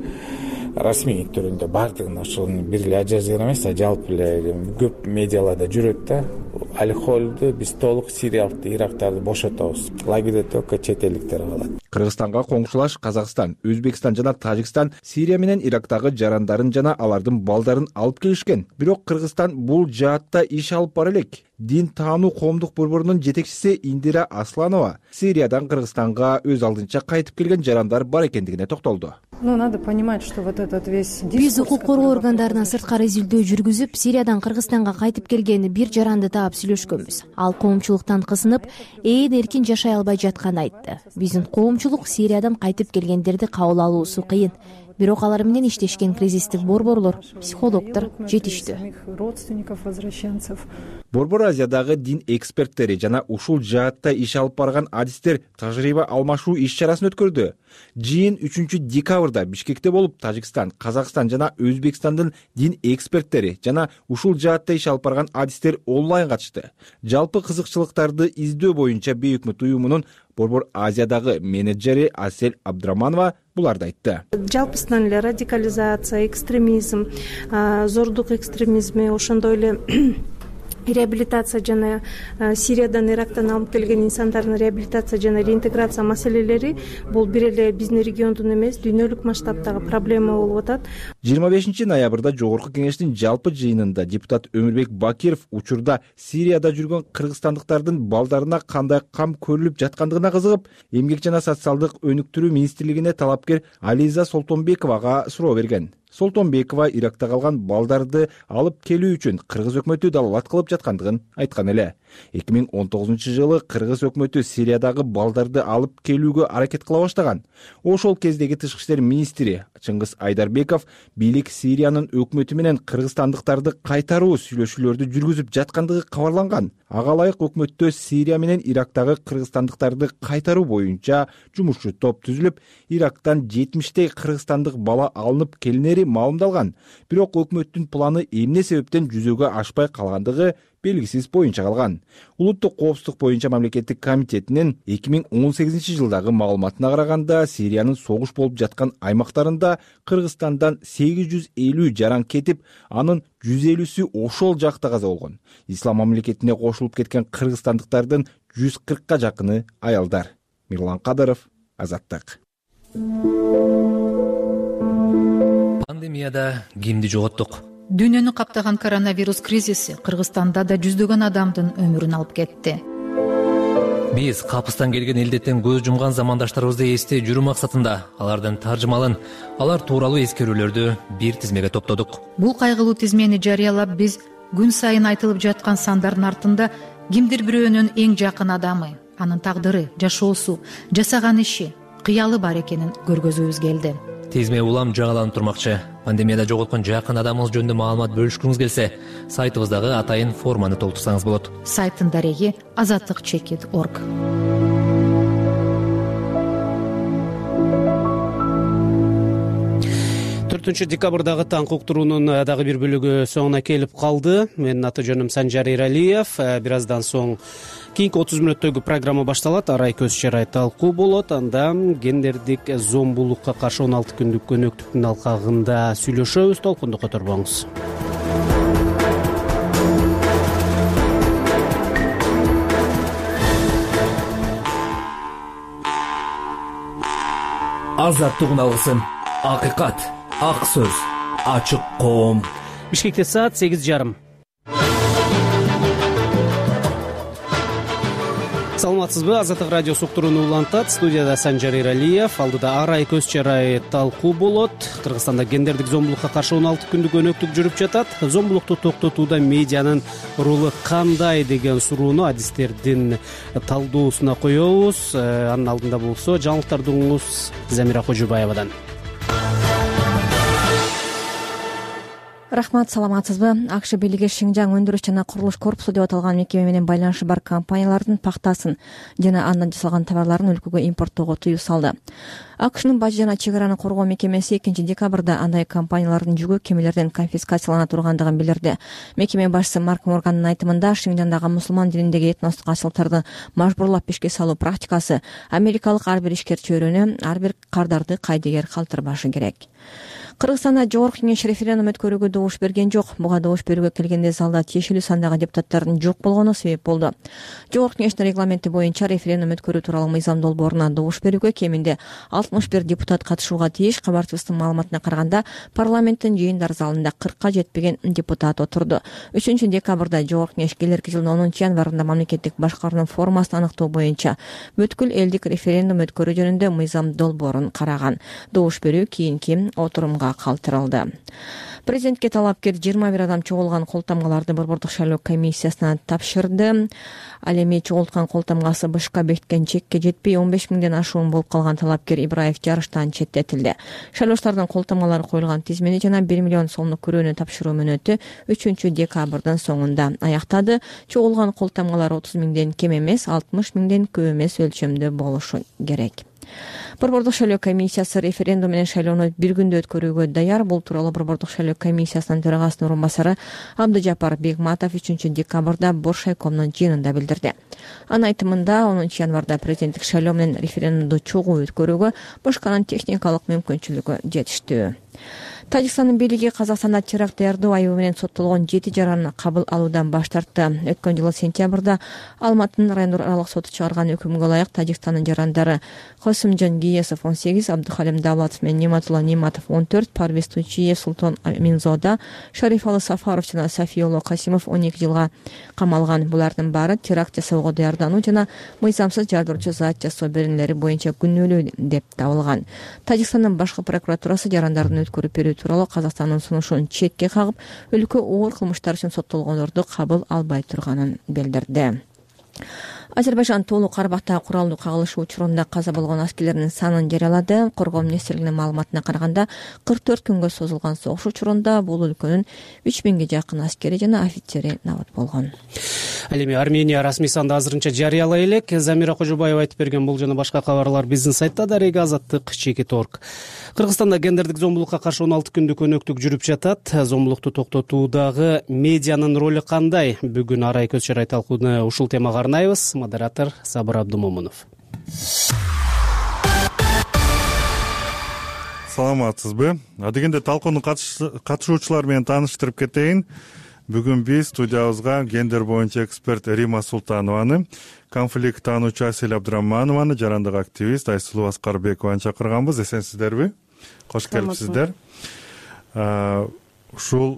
Расмий түрүндө бардыгын ошонун бир эле ажазер эмес, жалпы эле көп медиаларда жүрөт да. Алхолду биз толук сириялыктарды, ирактарды бошотобуз. Лагерде только чет элдиктер калат. Кыргызстанга коңшулаш Казакстан, Өзбекстан жана Тажикстан Сирия менен Ирактагы жарандарын жана алардын балдарын алып келишкен. Бирок Кыргызстан бул жаатта иш алып бара элек. Дин таануу коомдук борборунун жетекчиси Индира Асланова Сириядан Кыргызстанга өз алдынча кайтып келген жарандар бар экендигине токтолду. Ну, надо понимать, что вот этот весь Биз укук коргоо органдарына сырткары изилдөө жүргүзүп, Сириядан Кыргызстанга кайтып келген бир жаранды таап сүйлөшкөнбүз. Ал коомчулуктан кысынып, ээн эркин жашай албай жатканын айтты. Биздин коомчулук Сириядан кайтып келгендерди кабыл алуусу кыйын. Бирок алар менен иштешкен кризистик борборлор, психологдор жетиштүү. Борбор Азиядагы дин эксперттери жана ушул жаатта иш алып барган адистер тажрыйба алмашуу иш-чарасын өткөрдү. Жыйын үчүнчү декабрда Бишкекте болуп, Тажикстан, Казакстан жана Өзбекстандын дин эксперттери жана ушул жаатта иш алып барган адистер онлайн катышты. Жалпы кызыкчылыктарды издөө боюнча Бейөкмөт уюмунун Борбор Азиядагы менеджери Асель Абдраманова буларды айтты. Жалпысынан эле радикализация, экстремизм, зордук экстремизми, ошондой эле реабилитация жана Сириядан, Ирактан алып келген инсандардын реабилитация жана реинтеграция маселелери бул бир эле биздин региондун эмес, дүйнөлүк масштабтагы проблема болуп атат. жыйырма бешинчи ноябрда Жогорку кеңештин жалпы жыйынында депутат Өмүрбек Бакиров учурда Сирияда жүргөн кыргызстандыктардын балдарына кандай кам көрүлүп жаткандыгына кызыгып, эмгек жана социалдык өнүктүрүү министрлигине талапкер Ализа Солтонбековага суроо берген. Солтонбекова Иракта калган балдарды алып келүү үчүн Кыргыз өкмөтү далалат кылып жаткандыгын айткан эле. эки миң он тогузунчу жылы Кыргыз өкмөтү Сириядагы балдарды алып келүүгө аракет кыла баштаган. Ошол кездеги Тышкы иштер министри Чыңгыз Айдарбеков бийлик Сириянын өкмөтү менен кыргызстандыктарды кайтаруу сүйлөшүүлөрдү жүргүзүп жаткандыгы кабарланган. Ага ылайык өкмөттө Сирия менен Ирактагы кыргызстандыктарды кайтаруу боюнча жумушчу топ түзүлүп, Ирактан жетимиштей кыргызстандык бала алынып келинери маалымдалган. Бирок өкмөттүн планы эмне себептен жүзөгө ашпай калгандыгы белгисиз боюнча калган. Улуттук коопсуздук боюнча мамлекеттик комитетинин эки миң он сегизинчи жылдагы маалыматына караганда, Сириянын согуш болуп жаткан аймактарында Кыргызстандан сегиз жүз элүү жаран кетип, анын жүз элүүсү ошол жакта каза болгон. Ислам мамлекетине кошулуп кеткен кыргызстандыктардын жүз кыркка жакыны аялдар. Мирлан Кадыров, Азаттык. Пандемияда кимди жоготтук? Дүйнөнү каптаган коронавирус кризиси Кыргызстанда да жүздөгөн адамдын өмүрүн алып кетти. Биз капыстан келген илдеттен көз жумган замандаштарыбызды эстей жүрүү максатында алардын таржымалын, алар тууралуу эскерүүлөрдү бир тизмеге топтодук. Бул кайгылуу тизмени жарыялап биз күн сайын айтылып жаткан сандардын артында кимдир бирөөнүн эң жакын адамы, анын тагдыры, жашоосу, жасаган иши, кыялы бар экенин көргөзүүбүз келди. Тизме улам жагаланып турмакчы. Пандемияда жоголткон жакын адамыңыз жөнүндө маалымат бөлүшкүңүз келсе, сайтыбыздагы атайын форманы толтурсаңыз болот. Сайттын дареги азаттык чекит точка орг. төртүнчү декабрдагы таңкы уктуруунун дагы бир бөлүгү соңуна келип калды. Менин аты жөнүм Санжар Эралиев. Бир аздан соң кийинки отуз мүнөттөгү программа башталат. Арай көз чарай талкуу болот. Анда гендердик зомбулукка каршы он алты күндүк көнөктүктүн алкагында сүйлөшөбүз. Толкунду которбоңуз. Азаттык алгысын. Акыйкат, ак сөз, ачык коом. Бишкекте саат сегиз жарым. Саламатсызбы? Азаттык радиосу уктурууну улантат. Студияда Санжар Эралиев. Алдыда Арай көз чарай талкуу болот. Кыргызстанда гендердик зомбулукка каршы он алты күндүк өнөктүк жүрүп жатат. Зомбулукту токтотууда медианын ролу кандай деген суроону адистердин талдоосуна коебуз. Анын алдында болсо жаңылыктарды угуңуз Замира Кожубаевадан. Рахмат, саламатсызбы? АКШ бийлиги Шинжаң өндүрүш жана курулуш корпусу деп аталган мекеме менен байланышы бар компаниялардын пактасын жана андан жасалган товарларын өлкөгө импорттоого тыюу салды. АКШнын бажы жана чек араны коргоо мекемеси экинчи декабрда андай компаниялардын жүгү кемелерден конфискациялана тургандыгын билдирди. Мекеме башчысы Марк Моргандын айтымында, Шинжаңдагы мусулман дининдеги этностук асылтарды мажбурлап ишке салуу практикасы америкалык ар бир ишкерчи өрөнү, ар бир кардарды кайдыгер калтырбашы керек. Кыргызстанда жогорку кеңеш референдум өткөрүүгө добуш берген жок. Буга добуш берүүгө келгенде залда тиешелүү сандагы депутаттардын жок болгону себеп болду. Жогорку кеңештин регламенти боюнча референдум өткөрүү тууралуу мыйзам долбооруна добуш берүүгө кеминде алтымыш бир депутат катышууга тийиш. Кабарчыбыздын маалыматына караганда, парламенттин жыйындар залында кыркка жетпеген депутат отурду. үчүнчү декабрда жогорку кеңеш келерки жылдын онунчу январында мамлекеттик башкаруунун формасын аныктоо боюнча бүткүл элдик референдум өткөрүү жөнүндө мыйзам долбоорун караган. Добуш берүү кийинки отурумга калтырылды. Президентке талапкер жыйырма бир адам чогулган колтомгаларды Борбордук шайлоо комиссиясына тапшырды. Ал эми чогулткан колтомгасы бышка бекиткен чекке жетпей он беш миңден ашуун болуп калган талапкер Ибраев жарыштан четтетилди. Шайлоочулардын колтомгалары коюлган тизмени жана бир миллион сомдук күрөөнү тапшыруу мөөнөтү үчүнчү декабрдын соңунда аяктады. Чогулган колтомгалар отуз миңден кем эмес, алтымыш миңден көп эмес өлчөмдө болушу керек. Борбордук шайлоо комиссиясы референдум менен шайлоону бир күндө өткөрүүгө даяр. Бул тууралуу Борбордук шайлоо комиссиясынын төрагасынын орун басары Абдыжапар Бегматов үчүнчү декабрда Боршайкомдун жыйынында билдирди. Анын айтымында онунчу январда президенттик шайлоо менен референдумду чогуу өткөрүүгө башканын техникалык мүмкүнчүлүгү жетиштүү. Тажикстандын бийлиги Казакстанда теракт даярдоо айыбы менен соттолгон жети жараны кабыл алуудан баш тартты. Өткөн жылы сентябрда Алматынын райондук аралык соту чыгарган өкүмгө ылайык Тажикстандын жарандары Косумжан Гиесов он сегиз, Абдухалим Давлатов менен Нематулла Нематов он төрт, Парвиз Тучиев, Султан Аминзода, Шарифалы Сафаров жана Сафиоло Касимов он эки жылга камалган. Булардын баары теракт жасоого даярдануу жана мыйзамсыз жардырчу зат жасоо беренелери боюнча күнөөлүү деп табылган. Тажикстандын башкы прокуратурасы жарандардын өткөрүп берүү тууралуу Казакстандын сунушун четке кагып, өлкө оор кылмыштар үчүн соттолгондорду кабыл албай турганын билдирди. Азербайжан Тоолук Карабактагы куралдуу кагылышы учурунда каза болгон аскерлердин санын жарыялады. Коргоо министрлигинин маалыматына караганда, кырк төрт күнгө созулган согуш учурунда бул өлкөнүн үч миңге жакын аскери жана офицери набыт болгон. Ал эми Армения расмий санды азырынча жарыялай элек. Замира Кожубаева айтып берген бул жана башка кабарлар биздин сайтта дареги азаттык чекит точка орг. Кыргызстанда гендердик зомбулукка каршы он алты күндүк өнөктүк жүрүп жатат. Зомбулукту токтотуудагы медианын ролу кандай? Бүгүн Арай көз чарай талкууну ушул темага арнайбыз. Модератор Сабыр Абдумомунов. Саламатсызбы? Адегенде талкуунун катышуучулары менен тааныштырып кетейин. Бүгүн биз студиябызга гендер боюнча эксперт Рима Султанованы, конфликт таануучу Асель Абдыраманованы, жарандык активист Айсулуу Аскарбекованы чакырганбыз. Эсенсиздерби? Кош келипсиздер. ушул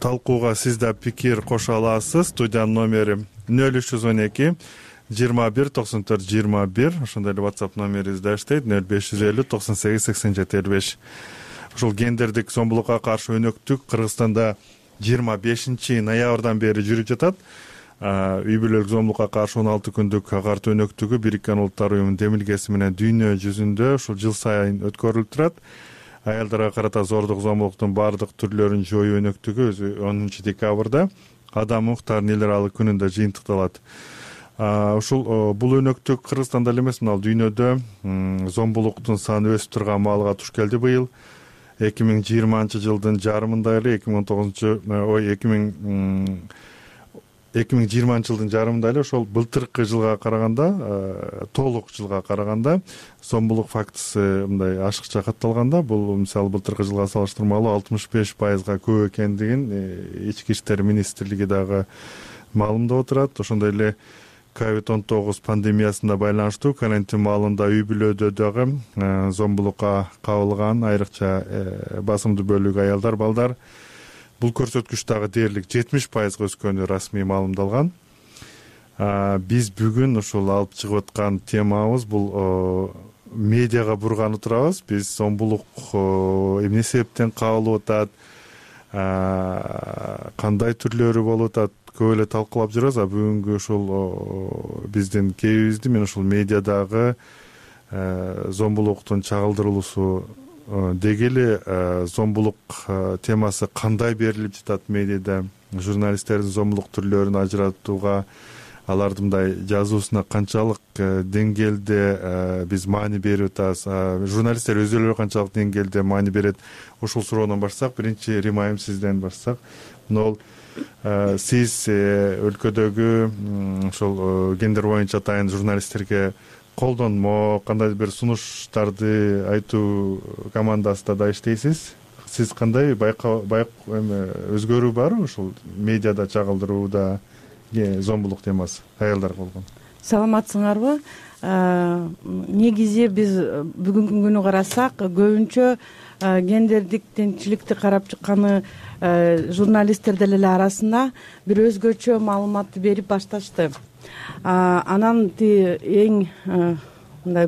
талкууга сиз да пикир кошо аласыз. Студиянын номери нөл үч жүз он эки жыйырма бир токсон төрт жыйырма бир, ошондой эле WhatsApp номерибиз да иштейт нөл беш жүз элүү токсон сегиз сексен жети элүү беш. Ушул гендердик зомбулукка каршы өнөктүк Кыргызстанда жыйырма бешинчи ноябрдан бери жүрүп жатат. Үй бүлөлүк зомбулукка каршы он алты күндүк картуу өнөктүгү Бириккен Улуттар уюмунун демилгеси менен дүйнө жүзүндө ушул жыл сайын өткөрүлүп турат. Аялдарга карата зордук зомбулуктун баардык түрлөрүн жоюу өнөктүгү өзү онунчу декабрда Адам укуктарынын эл аралык күнүндө жыйынтыкталат. Ушул бул өнөктүк Кыргызстанда эле эмес, мына дүйнөдө зомбулуктун саны өсүп турган маалга туш келди быйыл. эки миң жыйырманчы жылдын жарымында эле эки миң он тогузунчу ой эки миң эки миң жыйырманчы жылдын жарымында эле ошол былтыркы жылга караганда, толук жылга караганда зомбулук фактысы мындай ашыкча катталганда, бул мисалы былтыркы жылга салыштырмалуу алтымыш беш пайызга көп экендигин Ички иштер министрлиги дагы маалымдап отурат. Ошондой эле ковид он тогуз пандемиясына байланыштуу карантин маалында үй бүлөдө дагы зомбулукка кабылган айрыкча басымдуу бөлүгү аялдар, балдар. Бул көрсөткүч дагы дээрлик жетимиш пайызга өскөнү расмий маалымдалган. Биз бүгүн ушул алып чыгып аткан темабыз бул медиага бурганып турабыз. Биз зомбулук эмне себептен кабылып атат, кандай түрлөрү болуп атат, көп эле талкуулап жүрөбүз. А бүгүнкү ушул биздин кээбизди мен ушул медиадагы зомбулуктун чагылдырылуусу деги эле зомбулук темасы кандай берилип жатат медиада, журналисттердин зомбулук түрлөрүн ажыратууга, алардын мындай жазуусуна канчалык деңгээлде биз маани берип атабыз, журналисттер өзүлөрү канчалык деңгээлде маани берет, ушул суроодон баштасак. Биринчи Рима айым сизден баштасак. Мына сиз өлкөдөгү ошол гендер боюнча атайын журналисттерге колдонмо, кандай бир сунуштарды айтуу командасында да иштейсиз. Сиз кандай байкоо өзгөрүү барбы ушул медиада чагылдырууда зомбулук темасы аялдарга болгон? Саламатсыңарбы? Негизи биз бүгүнкү күнү карасак, көбүнчө гендердик теңчиликти карап чыкканы журналисттер деле арасында бир өзгөчө маалыматты берип башташты. Анан эң мындай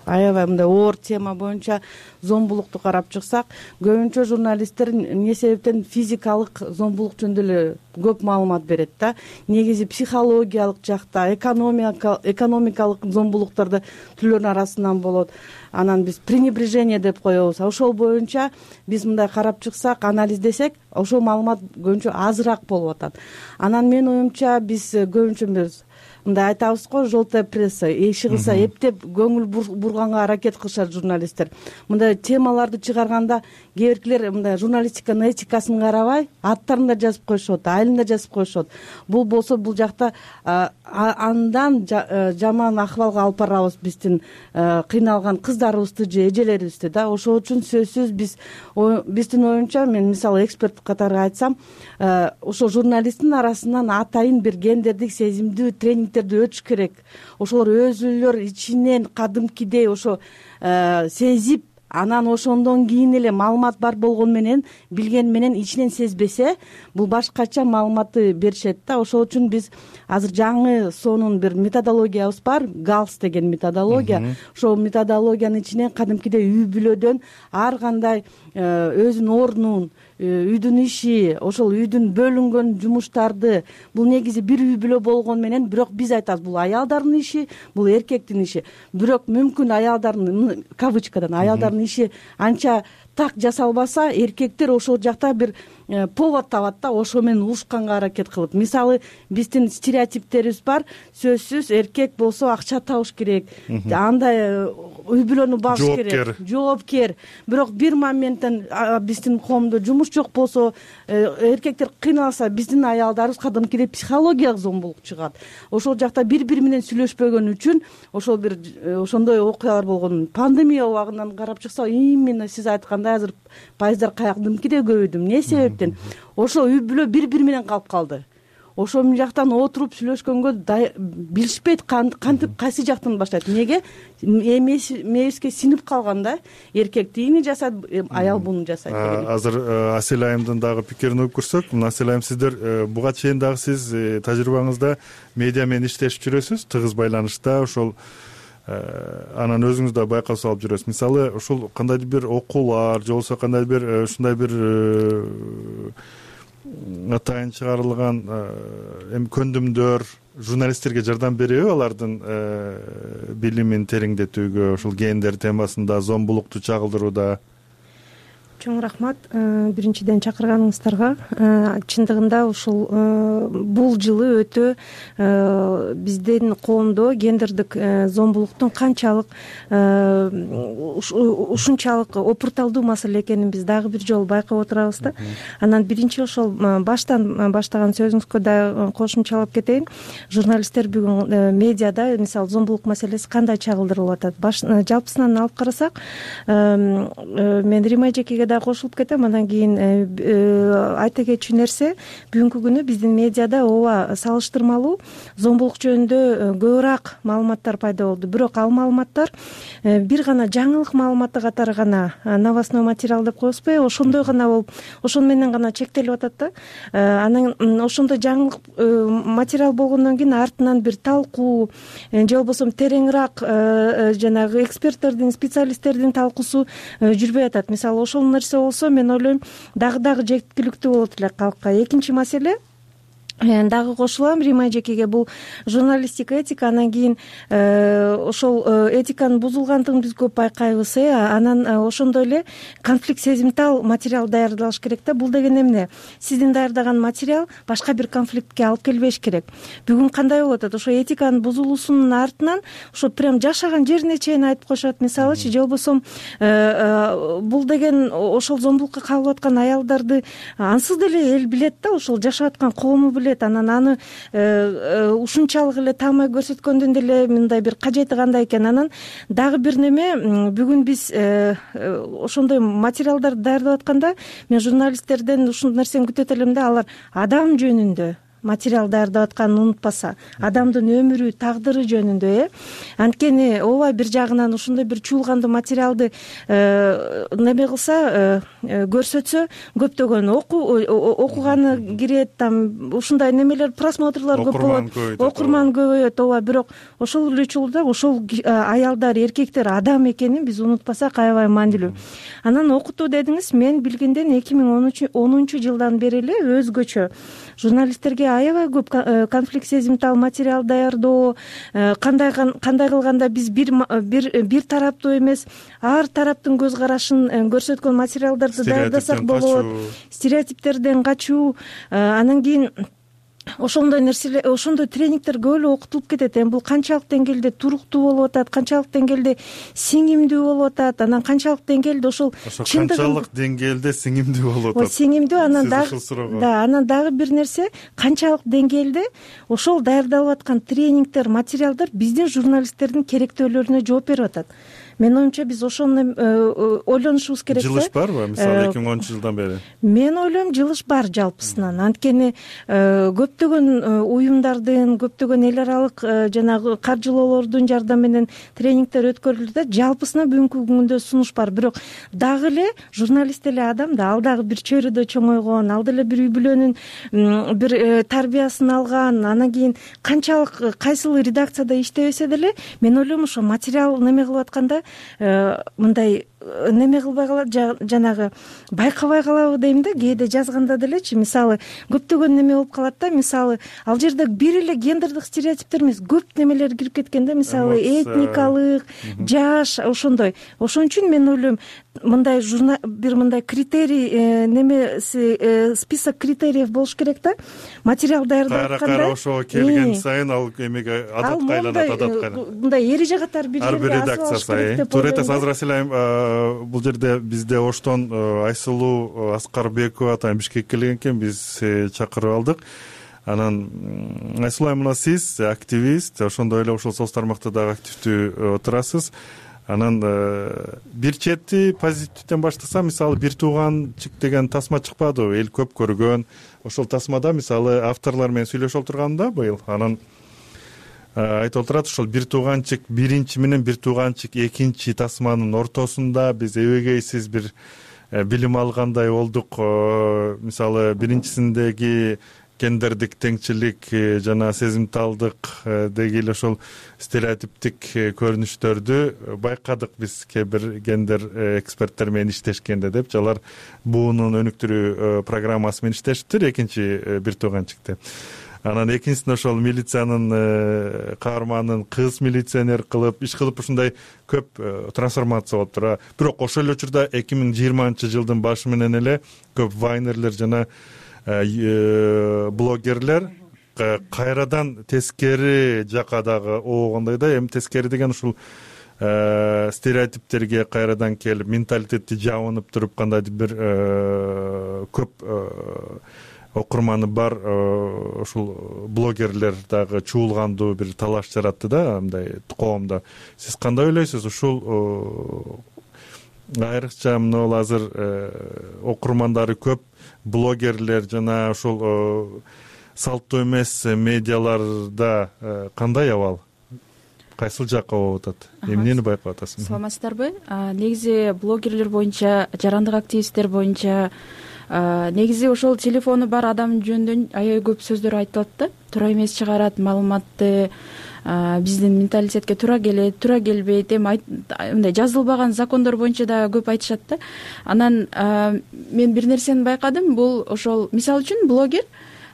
аябай мындай оор тема боюнча зомбулукту карап чыксак, көбүнчө журналисттер эмне себептен физикалык зомбулук жөнүндө эле көп маалымат берет да. Негизи психологиялык жакта, экономикалык зомбулуктарды түрлөрүнүн арасынан болот. Анан биз пренебрежение деп коебуз. Ошол боюнча биз мындай карап чыксак, анализдесек, ошол маалымат көбүнчө азыраак болуп атат. Анан менин оюмча биз көбүнчө биз мындай айтабыз го, желтая пресса иши кылса эптеп көңүл бурганга аракет кылышат журналисттер. Мындай темаларды чыгарганда кээ биркилер мындай журналистиканын этикасын карабай, аттарын да жазып коюшот, айылын да жазып коюшот. Бул болсо бул жакта андан жаман акыбалга алып барабыз биздин кыйналган кыздарыбызды же эжелерибизди да. Ошол үчүн сөзсүз биз биздин оюнча, мен мисалы эксперт катары айтсам, ошол журналисттин арасынан атайын бир гендердик сезимдүү тренингтерди өтүш керек. Ошолор өзүлөр ичинен кадимкидей ошо сезип, анан ошондон кийин эле маалымат бар болгону менен, билгени менен ичинен сезбесе, бул башкача маалыматты беришет да. Ошол үчүн биз азыр жаңы сонун бир методологиябыз бар, галс деген методология. Ошол методологиянын ичине кадимкидей үй бүлөдөн ар кандай өзүнүн ордунун, үйдүн иши, ошол үйдүн бөлүнгөн жумуштарды, бул негизи бир үй бүлө болгону менен, бирок биз айтабыз, бул аялдардын иши, бул эркектин иши. Бирок мүмкүн аялдардын, кавычкадан, аялдардын иши анча так жасалбаса, эркектер ошол жакта бир повод табат да, ошо менен урушканга аракет кылып. Мисалы, биздин стереотиптерибиз бар, сөзсүз эркек болсо акча табыш керек, андай үй бүлөнү багыш керек, жоопкер. Бирок бир моменттен биздин коомдо жумуш жок болсо, эркектер кыйналса, биздин аялдарыбыз кадимкидей психологиялык зомбулук чыгат. Ошол жакта бири-бири менен сүйлөшпөгөн үчүн ошол бир ошондой окуялар болгон. Пандемия убагынан карап чыкса, именно сиз айткандай азыр пайыздар кадимкидей көбөйдү. Эмне себептен? Ошо үй бүлө бири-бири менен калып калды. ошол жактан отуруп сүйлөшкөнгө билишпейт кантип кайсы жактан баштайт. Эмнеге мээбизге синип калган да, эркек тигини жасайт, аял буну жасайт. Азыр Асель айымдын дагы пикирин угуп көрсөк, Асель айым, сиздер буга чейин дагы сиз тажрыйбаңызда медиа менен иштешип жүрөсүз, тыгыз байланышта. Ошол анан өзүңүз да байкап алып жүрөсүз. Мисалы, ушул кандайдыр бир окуулар же болбосо кандайдыр бир ушундай бир атайын чыгарылган эми көндүмдөр журналисттерге жардам береби алардын билимин тереңдетүүгө, ушул гендер темасында, зомбулукту чагылдырууда? Чоң рахмат биринчиден чакырганыңыздарга. Чындыгында ушул бул жылы өтө биздин коомдо гендердик зомбулуктун канчалык ушунчалык опурталдуу маселе экенин биз дагы бир жолу байкап отурабыз да. Анан биринчи ошол баштан баштаган сөзүңүзгө да кошумчалап кетейин. Журналисттер бүгүн медиада мисалы зомбулук маселеси кандай чагылдырылып атат? Жалпысынан алып карасак, мен Рима эжекеге кошулуп кетем. Андан кийин айта кетчү нерсе, бүгүнкү күнү биздин медиада ооба салыштырмалуу зомбулук жөнүндө көбүрөөк маалыматтар пайда болду. Бирок ал маалыматтар бир гана жаңылык маалыматы катары гана, новостной материал деп коебузбу, ошондой гана болуп, ошону менен гана чектелип атат да. Анан ошондой жаңылык материал болгондон кийин артынан бир талкуу же болбосо тереңирээк жанагы эксперттердин, специалисттердин талкуусу жүрбөй атат. Мисалы, ошол нерсе болсо, мен ойлойм, дагы дагы жеткиликтүү болот эле калкка. Экинчи маселе, дагы кошулам Рима эжекеге, бул журналистика, этика. Анан кийин ошол этиканын бузулгандыгын биз көп байкайбыз. Анан ошондой эле конфликт сезимтал материал даярдалыш керек да. Бул деген эмне? Сиздин даярдаган материал башка бир конфликтке алып келбеш керек. Бүгүн кандай болуп атат? Ошо этиканын бузулуусунун артынан ошо прям жашаган жерине чейин айтып коюшат. Мисалычы, же болбосо бул деген ошол зомбулукка кабылып аткан аялдарды ансыз деле эл билет да, ошол жашап аткан коому билет. Анан аны ушунчалык эле таамай көрсөткөндөн деле мындай бир кажети кандай экен. Анан дагы бир неме, бүгүн биз ошондой материалдарды даярдап атканда, мен журналисттерден ушул нерсени күтөт элем да, алар адам жөнүндө материал даярдап атканын унутпаса, адамдын өмүрү, тагдыры жөнүндө, э анткени ооба бир жагынан ушундай бир чуулгандуу материалды неме кылса, көрсөтсө, көптөгөн окуганы кирет, там ушундай немелер, просмотрлор көп болот, окурман көбөйөт. Ооба, бирок ошол эле учурда ошол аялдар, эркектер адам экенин биз унутпасак аябай маанилүү. Анан окутуу дедиңиз, мен билгенден эки миң онунчу жылдан бери эле өзгөчө журналисттерге аябай көп конфликт сезимтал материал даярдоо, кандай кандай кылганда биз бир бир бир тараптуу эмес, ар тараптын көз карашын көрсөткөн материалдарды даярдасак болот. Стереотиптерден качуу, анан кийин ошондой нерселер, ошондой тренингдер көп эле окутулуп кетет. Эми бул канчалык деңгээлде туруктуу болуп атат, канчалык деңгээлде сиңимдүү болуп атат, анан канчалык деңгээлде ошол канчалык деңгээлде сиңимдүү болуп атат. Сиңимдүү, анан дагы да, анан дагы бир нерсе, канчалык деңгээлде ошол даярдалып аткан тренингдер, материалдар биздин журналисттердин керектөөлөрүнө жооп берип атат. Мен оюмча биз ошону ойлонушубуз керек. Жылыш барбы, мисалы эки миң онунчу жылдан бери? Мен ойлойм, жылыш бар жалпысынан. Анткени көптөгөн уюмдардын, көптөгөн эл аралык жанагы каржылоолордун жардамы менен тренингдер өткөрүлдү да, жалпысынан бүгүнкү күндө сунуш бар. Бирок дагы эле журналист эле адам да, ал дагы бир чөйрөдө чоңойгон, ал деле бир үй бүлөнүн бир тарбиясын алган, анан кийин канчалык кайсыл редакцияда иштебесе деле, мен ойлойм ошо материал неме кылып атканда мындай неме кылбай калат, жанагы байкабай калабы дейм да, кээде жазганда делечи. Мисалы, көптөгөн неме болуп калат да, мисалы, ал жерде бир эле гендердик стереотиптер эмес, көп немелер кирип кеткен да, мисалы, этникалык, жаш, ошондой. Ошон үчүн мен ойлойм, мындай бир мындай критерий немеси, список критериев болуш керек да, материал даярдап атканда. Кайра кайра ошого келген сайын ал эмеге адатка айланат, адатка. Мындай эреже катары бир жерге редакция сайын. Туура айтасыз, азыр Асель айым, бул жерде бизде Оштон Айсулуу Аскарбекова атайын Бишкекке келген экен, биз чакырып алдык. Анан Айсулуу айым, мына сиз активист, ошондой эле ошол соц тармакта дагы активдүү отурасыз. анан бир чети позитивден баштасам, мисалы бир тууганчык деген тасма чыкпадыбы, эл көп көргөн. Ошол тасмада мисалы авторлор менен сүйлөшүп отурганда быйыл анан айтып отурат, ошол бир тууганчык биринчи менен бир тууганчык экинчи тасманын ортосунда биз эбегейсиз бир билим алгандай болдук. Мисалы биринчисиндеги гендердик теңчилик жана сезимталдык деги эле ошол стереотиптик көрүнүштөрдү байкадык биз кээ бир гендер эксперттер менен иштешкенде деп. Алар буунун өнүктүрүү программасы менен иштешиптир экинчи бир тууганчыкты. Анан экинчисин ошол милициянын каарманын кыз милиционер кылып иш кылып ушундай көп трансформация болуптур. Бирок ошол эле учурда эки миң жыйырманчы жылдын башы менен эле көп вайнерлер жана блогерлер кайрадан тескери жака дагы обгондой да. Эми тескери деген ушул стереотиптерге кайрадан келип, менталитетти жабынып туруп кандайдыр бир көп окурманы бар ушул блогерлер дагы чуулгандуу бир талаш жаратты да мындай коомдо. Сиз кандай ойлойсуз? Ушул айрыкча мына азыр окурмандары көп блогерлер жана ушул салттуу эмес медиаларда кандай абал? Кайсыл жакка болуп атат? Эмнени байкап атасыз? Саламатсыздарбы? Негизи блогерлер боюнча, жарандык активисттер боюнча негизи ошол телефону бар адамдын жөнүндө аябай көп сөздөр айтылат да. Туура эмес чыгарат, маалыматты биздин менталитетке туура келет, туура келбейт. Эми мындай жазылбаган закондор боюнча да көп айтышат да. Анан мен бир нерсени байкадым, бул ошол мисалы үчүн блогер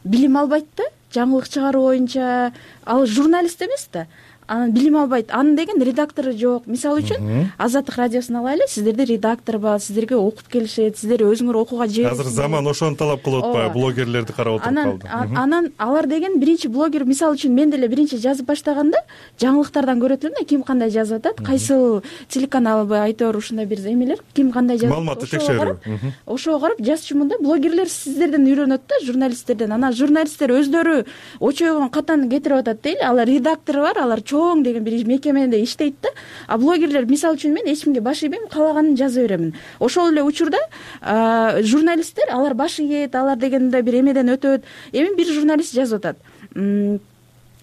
билим албайт да, жаңылык чыгаруу боюнча. Ал журналист эмес да. Анан билим албайт. Анын деген редактору жок. Мисалы үчүн Азаттык радиосун алайлы, сиздерде редактор бар, сиздерге окуп келишет, сиздер өзүңөр окууга жибериңер. Азыр заман ошону талап кылып атпайбы? Блогерлерди карап отуруп калды. Анан алар деген биринчи блогер, мисалы үчүн мен деле биринчи жазып баштаганда жаңылыктардан көрөт элем да, ким кандай жазып атат, кайсыл телеканалбы, айтор ушундай бир эмелер, ким кандай жазып, маалыматты текшерүү. Ошого карап жазчумун да. Блогерлер сиздерден үйрөнөт да, журналисттерден. Анан журналисттер өздөрү очойгон катаны кетирип атат дейли. Алар редактору бар, алар чоң деген бир мекемеде иштейт да. А блогерлер мисалы үчүн мен эч кимге баш ийбейм, каалаганын жаза беремин. Ошол эле учурда журналисттер алар баш ийет, алар дегенде бир эмеден өтөт. Эми бир журналист жазып атат.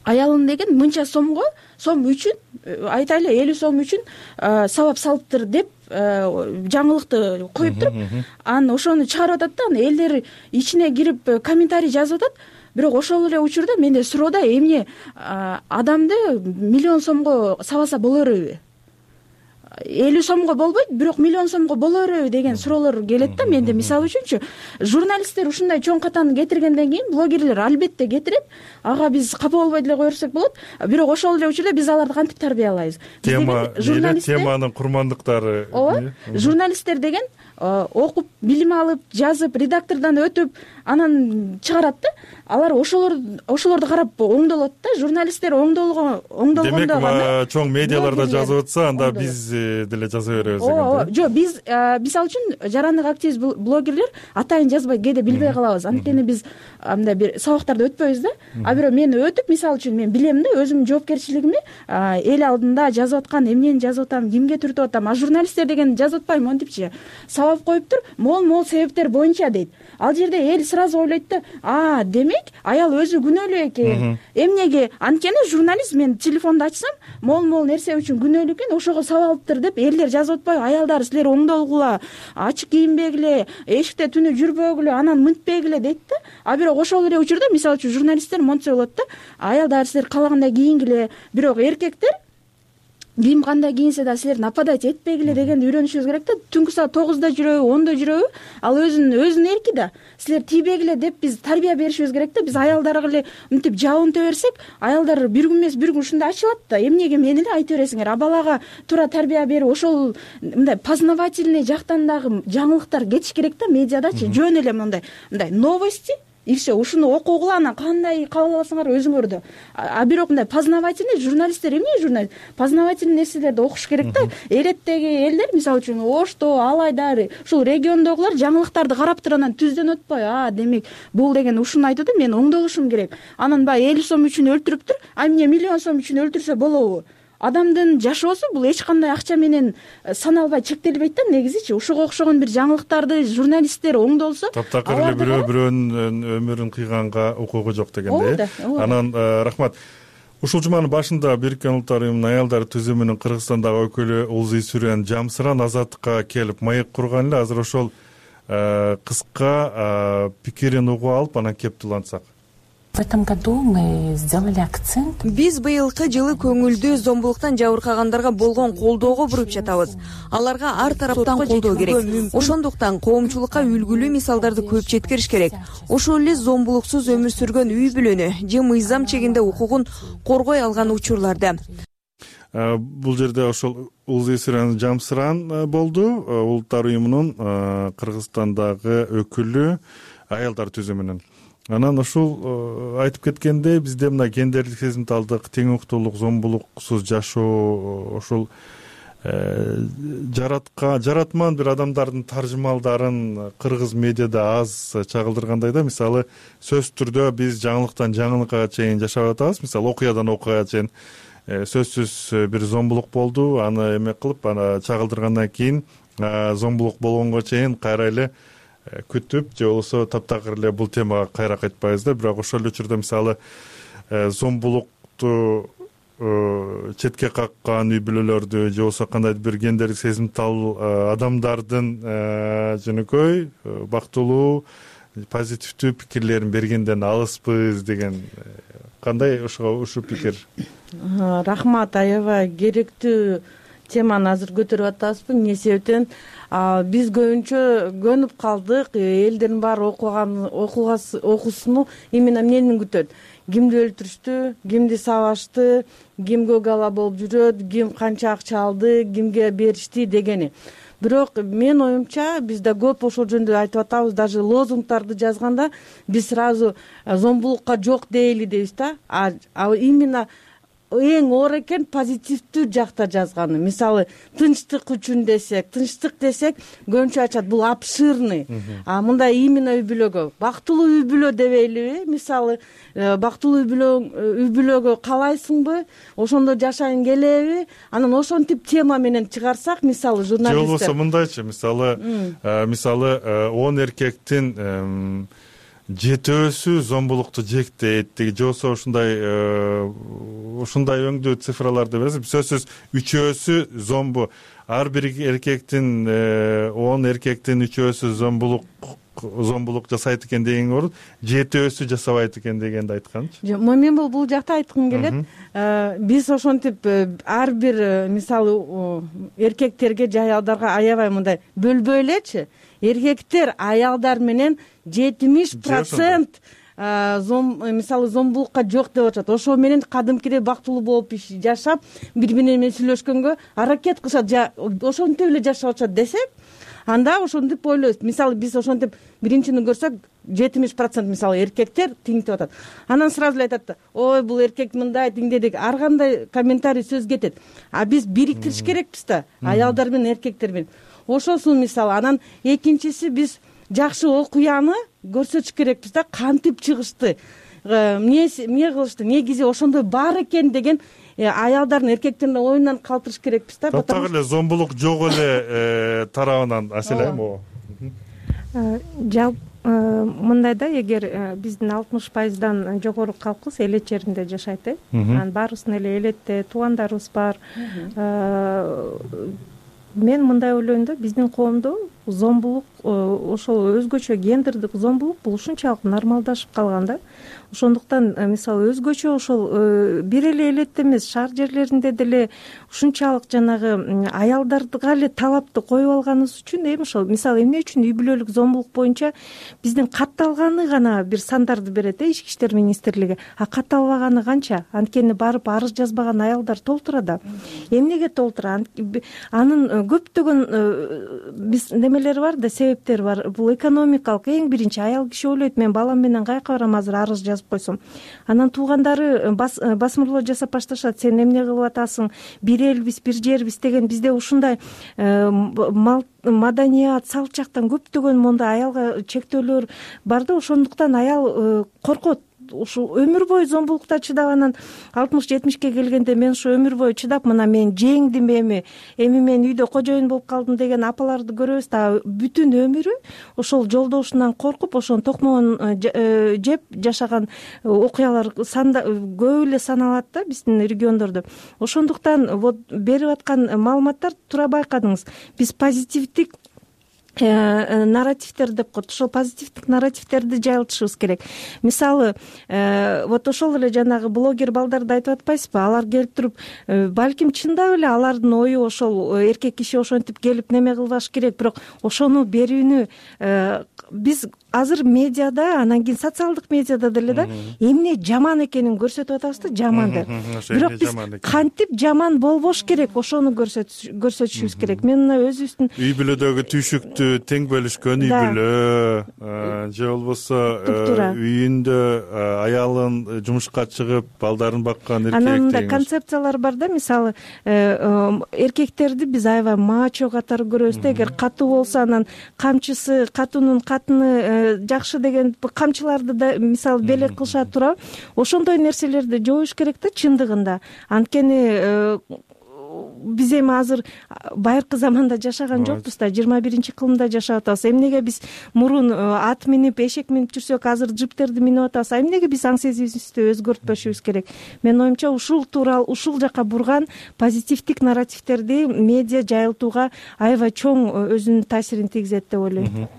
Аялын деген мынча сомго, сом үчүн, айтайлы элүү сом үчүн сабап салыптыр деп жаңылыкты коюп туруп, анан ошону чыгарып атат да. Анан элдер ичине кирип комментарий жазып атат. Бирок ошол эле учурда менде суроо да, эмне адамды миллион сомго сабаса боло береби? элүү сомго болбойт, бирок миллион сомго боло береби деген суроолор келет да менде. Мисалы үчүнчү, журналисттер ушундай чоң катаны кетиргенден кийин блогерлер албетте кетирет. Ага биз капа болбой деле кое берсек болот. Бирок ошол эле учурда биз аларды кантип тарбиялайбыз? Тема, теманын курмандыктары. Ооба. Журналисттер деген окуп, билим алып, жазып, редактордон өтүп, анан чыгарат да. Алар ошолор ошолорду карап оңдолот да. Журналисттер оңдолго оңдолгондо гана демек чоң медиаларда жазып атса, анда биз деле жаза беребиз деген. Ооба, жок, биз мисалы үчүн жарандык активист блогерлер атайын жазбай кээде билбей калабыз. Анткени биз мындай бир сабактарды өтпөйбүз да. А бирок мен өтүп, мисалы үчүн мен билем да, өзүмдүн жоопкерчилигими эл алдында жазып аткан, эмнени жазып атам, кимге түртүп атам. А журналисттер деген жазып атпайбы монтипчи? Сабап коюптур, мол-мол себептер боюнча дейт. Ал жерде эл сразу ойлойт да, а, демек аял өзү күнөөлүү экен. Эмнеге? Анткени журналист мен телефонду ачсам, мол-мол нерсе үчүн күнөөлүү экен, ошого сабап алыптыр деп элдер жазып атпайбы? Аялдар, силер оңдолгула, ачык кийинбегиле, эшикте түнү жүрбөгүлө, анан мынтпегиле дейт да. А бирок ошол эле учурда мисалы үчүн журналисттер монтсе болот да. Аялдар, силер каалагандай кийингиле, бирок эркектер ким кандай кийинсе да силер нападать этпегиле дегенди үйрөнүшүбүз керек да. Түнкү саат тогузда жүрөбү, ондо жүрөбү, ал өзүнүн өзүнүн эрки да. Силер тийбегиле деп биз тарбия беришибиз керек да. Биз аялдарга эле мынтип жабынта берсек, аялдар бир күн эмес бир күн ушундай ачылат да. Эмнеге мени эле айта бересиңер? А балага туура тарбия берип, ошол мындай познавательный жактан дагы жаңылыктар кетиш керек да медиадачы. Жөн эле мындай мындай новости и все, ушуну окугула, анан кандай кабыл аласыңар өзүңөрдө. А бирок мындай познавательный журналисттер эмне журналист? Познавательный нерселерди окуш керек да. Элеттеги элдер, мисалы үчүн Ошто, Алайдар, ушул региондогулар жаңылыктарды карап туруп анан түздөн өтпөй, а, демек бул деген ушуну айтты да, мен оңдолушум керек. Анан баягы элүү сом үчүн өлтүрүптүр, а эмне миллион сом үчүн өлтүрсө болобу? адамдын жашоосу бул эч кандай акча менен саналбай чектелбейт да негизичи. Ушуга окшогон бир жаңылыктарды журналисттер оңдолсо таптакыр эле бирөө бирөөнүн өмүрүн кыйганга укугу жок дегендей. Анан рахмат. Ушул жуманын башында Бириккен Улуттар Уюмунун аялдар түзүмүнүн Кыргызстандагы өкүлү Улзий Сүрен Жамсыран Азаттыкка келип маек курган эле. Азыр ошол кыска пикирин угуп алып анан кептулантсак. В этом году мы сделали акцент. Биз быйылкы жылы көңүлдү зомбулуктан жабыркагандарга болгон колдоого буруп жатабыз. Аларга ар тараптан колдоо керек. Ошондуктан коомчулукка үлгүлүү мисалдарды көп жеткириш керек. Ошол эле зомбулуксуз өмүр сүргөн үй бүлөнү же мыйзам чегинде укугун коргой алган учурларда. Бул жерде ошол Улзий Сүрен Жамсыран болду, Улуттар Уюмунун Кыргызстандагы өкүлү аялдар түзүмүнүн. Анан ушул айтып кеткендей, бизде мына гендерлик сезимталдык, тең укуктуулук, зомбулуксуз жашоо, ошол жаратка жаратман бир адамдардын таржымалдарын кыргыз медиада аз чагылдыргандай да. Мисалы, сөзсүз түрдө биз жаңылыктан жаңылыкка чейин жашап атабыз. Мисалы, окуядан окуяга чейин сөзсүз бир зомбулук болду, аны эме кылып, аны чагылдыргандан кийин зомбулук болгонго чейин кайра эле күтүп, же болбосо таптакыр эле бул темага кайра кайтпайбыз да. Бирок ошол эле учурда мисалы зомбулукту четке каккан үй бүлөлөрдү же болбосо кандайдыр бир гендерлик сезимтал адамдардын жөнөкөй бактылуу, позитивдүү пикирлерин бергенден алыспыз деген кандай ошого ушул пикир? Рахмат, аябай керектүү теманы азыр көтөрүп атабызбы. Эмне себептен биз көбүнчө көнүп калдык, элдердин баары окуган окуусуну именно эмнени күтөт? Кимди өлтүрүштү, кимди сабашты, ким көк ала болуп жүрөт, ким канча акча алды, кимге беришти дегени. Бирок менин оюмча биз да көп ошол жөнүндө айтып атабыз, даже лозунгдарды жазганда биз сразу зомбулукка жок дейли дейбиз да. А именно эң оор экен позитивдүү жакта жазганы. Мисалы, тынчтык үчүн десек, тынчтык десек, көбүнчө айтышат бул обширный. А мындай именно үй бүлөгө, бактылуу үй бүлө дебейлиби? Мисалы, бактылуу үй бүлө үй бүлөгө каалайсыңбы? Ошондо жашайын келеби? Анан ошентип тема менен чыгарсак, мисалы, журналисттер. Же болбосо мындайчы, мисалы, мисалы он эркектин жетөөсү зомбулукту жектейт деги, же болбосо ушундай ушундай өңдүү цифраларды бересиз. Сөзсүз үчөөсү зомбу, ар бир эркектин он эркектин үчөөсү зомбулук зомбулук жасайт экен деген орун жетөөсү жасабайт экен дегенди айтканчы. Жок, мен бул бул жакта айткым келет. Биз ошентип ар бир мисалы эркектерге же аялдарга аябай мындай бөлбөй элечи. Эркектер аялдар менен жетимиш процент мисалы зомбулукка жок деп атышат. Ошо менен кадимкидей бактылуу болуп жашап, бири бири менен сүйлөшкөнгө аракет кылышат, ошентип эле жашап атышат десек, анда ошентип ойлойбуз. Мисалы, биз ошентип биринчини көрсөк, жетимиш процент мисалы эркектер тиңтип атат. Анан сразу эле айтат да, ой, бул эркек мындай тиңдедик, ар кандай комментарий сөз кетет. А биз бириктириш керекпиз да, аялдар менен эркектер менен. Ошосун мисалы. Анан экинчиси, биз жакшы окуяны көрсөтүш керекпиз да, кантип чыгышты, эмне эмне кылышты, негизи ошондой бар экен деген аялдардын, эркектердин оюнан калтырыш керекпиз да. Таптакыр эле зомбулук жок эле тарабынан Аселайм. Жалпы мындай да, эгер биздин алтымыш пайыздан жогору калкыбыз элет жеринде жашайт, э, анан баарыбыздын эле элетте туугандарыбыз бар. Мен мындай ойлойм да, биздин коомдо зомбулук, ошол өзгөчө гендердик зомбулук бул ушунчалык нормалдашып калган да. Ошондуктан мисалы өзгөчө ошол бир эле элетте эмес, шаар жерлеринде деле ушунчалык жанагы аялдарга эле талапты коюп алганыбыз үчүн эми ошол мисалы эмне үчүн үй бүлөлүк зомбулук боюнча биздин катталганы гана бир сандарды берет, э, Ички иштер министрлиги. А катталбаганы канча? Анткени барып арыз жазбаган аялдар толтура да. Эмнеге толтура? Анын көптөгөн биз немелери бар да, себептери бар. Бул экономикалык. Эң биринчи аял киши ойлойт, мен балам менен кайка барам азыр арыз жазып койсом. Анан туугандары басмырлоо жасап башташат, сен эмне кылып атасың, бир элбиз, бир жербиз деген. Бизде ушундай маданият, салт жактан көптөгөн мондай аялга чектөөлөр бар да, ошондуктан аял коркот. ушу өмүр бою зомбулукта чыдап анан алтымыш жетимишке келгенде мен ушу өмүр бою чыдап мына мен жеңдим эми эми мен үйдө кожоюн болуп калдым деген апаларды көрөбүз да. Бүтүн өмүрү ошол жолдошунан коркуп ошонун токмогун жеп жашаган окуялар көп эле саналат да биздин региондордо. Ошондуктан вот берип аткан маалыматтар туура байкадыңыз. Биз позитивдик нарративдер деп коет. Ошол позитивдик нарративдерди жайылтышыбыз керек. Мисалы, вот ошол эле жанагы блогер балдарды айтып атпайсызбы? Алар келип туруп, балким чындап эле алардын ою ошол эркек киши ошентип келип неме кылбаш керек, бирок ошону берүүнү биз азыр медиада, анан кийин социалдык медиада деле да эмне жаман экенин көрсөтүп атабыз да, жаманды. Бирок биз кантип жаман болбош керек, ошону көрсөтүшүбүз керек. Мен мына өзүбүздүн үй бүлөдөгү түйшүктү тең бөлүшкөн үй бүлө же болбосо үйүндө аялын жумушка чыгып балдарын баккан эркек. Анан мындай концепциялар бар да, мисалы эркектерди биз аябай мачо катары көрөбүз да. Эгер катуу болсо анан камчысы, катуунун катыны жакшы деген камчыларды да мисалы белек кылышат туурабы. Ошондой нерселерди жоюш керек да чындыгында. Анткени биз эми азыр байыркы заманда жашаган жокпуз да, жыйырма биринчи кылымда жашап атабыз. Эмнеге биз мурун ат минип, эшек минип жүрсөк, азыр джиптерди минип атабыз? Эмнеге биз аң сезимибизди өзгөртпөшүбүз керек? Менин оюмча ушул тууралуу ушул жака бурган позитивдик нарративдерди медиа жайылтууга аябай чоң өзүнүн таасирин тийгизет деп ойлойм.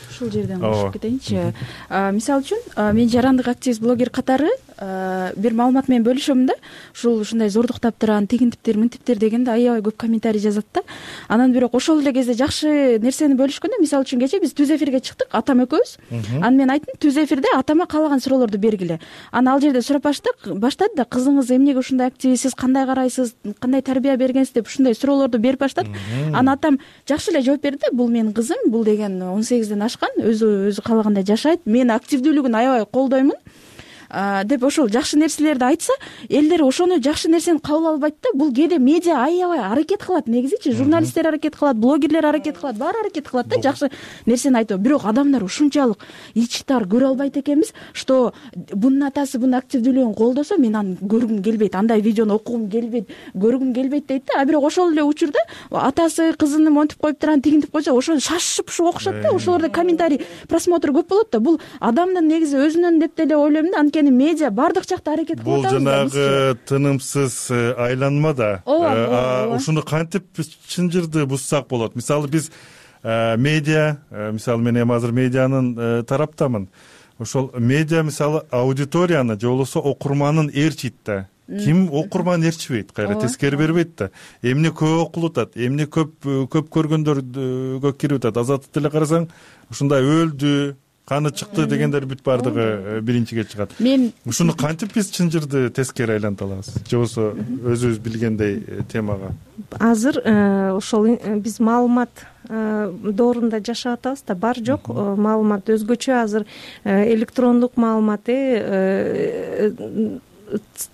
Ушул жерден кошуп кетейинчи. Мисалы үчүн мен жарандык активист блогер катары бир маалымат менен бөлүшөм да. Ушул ушундай зордуктап турган тигинтиптер, мынтиптер дегенде аябай көп комментарий жазат да. Анан бирок ошол эле кезде жакшы нерсени бөлүшкөндө, мисалы үчүн кече биз түз эфирге чыктык, атам экөөбүз. Анан мен айттым, түз эфирде атама каалаган суроолорду бергиле. Анан ал жерде сурап баштады да, кызыңыз эмнеге ушундай активист, сиз кандай карайсыз, кандай тарбия бергенсиз деп ушундай суроолорду берип баштады. Анан атам жакшы эле жооп берди да, бул менин кызым, бул деген он сегизден ашкан, өзү өзү каалагандай жашайт, мен активдүүлүгүн аябай колдоймун деп ошол жакшы нерселерди айтса, элдер ошону жакшы нерсени кабыл албайт да. Бул кээде медиа аябай аракет кылат, негизичи журналисттер аракет кылат, блогерлер аракет кылат, баары аракет кылат да жакшы нерсени айтуу. Бирок адамдар ушунчалык ич тар көрө албайт экенбиз, что бунун атасы бунун активдүүлүгүн колдосо мен аны көргүм келбейт, андай видеону окугум келбейт, көргүм келбейт дейт да. А бирок ошол эле учурда атасы кызын монтип коюп турган, тигинтип койсо, ошо шашып ушу окушат да. Ошолордо комментарий, просмотр көп болот да. Бул адамдын негизи өзүнөн деп деле ойлойм да. Анткени медиа бардык жакта аракет кылып атабыз. Бул жанагы тынымсыз айланма да. Ушуну кантип чынжырды буссак болот? Мисалы биз медиа, мисалы мен эми азыр медианын тараптамын. Ошол медиа мисалы аудиторияны же болбосо окурманын ээрчийт да. Ким окурман ээрчибейт, кайра тескери бербейт да. Эмне көп окулуп атат, эмне көп көп көргөндөргө кирип атат. Азаттыкты эле карасаң, ушундай өлдү, каны чыкты дегендер бүт баардыгы биринчиге чыгат. Мен ушуну кантип биз чынжырды тескери айланта алабыз? Же болбосо өзүбүз билгендей темага? Азыр ошол биз маалымат доорунда жашап атабыз да, бар жок маалымат өзгөчө азыр электрондук маалымат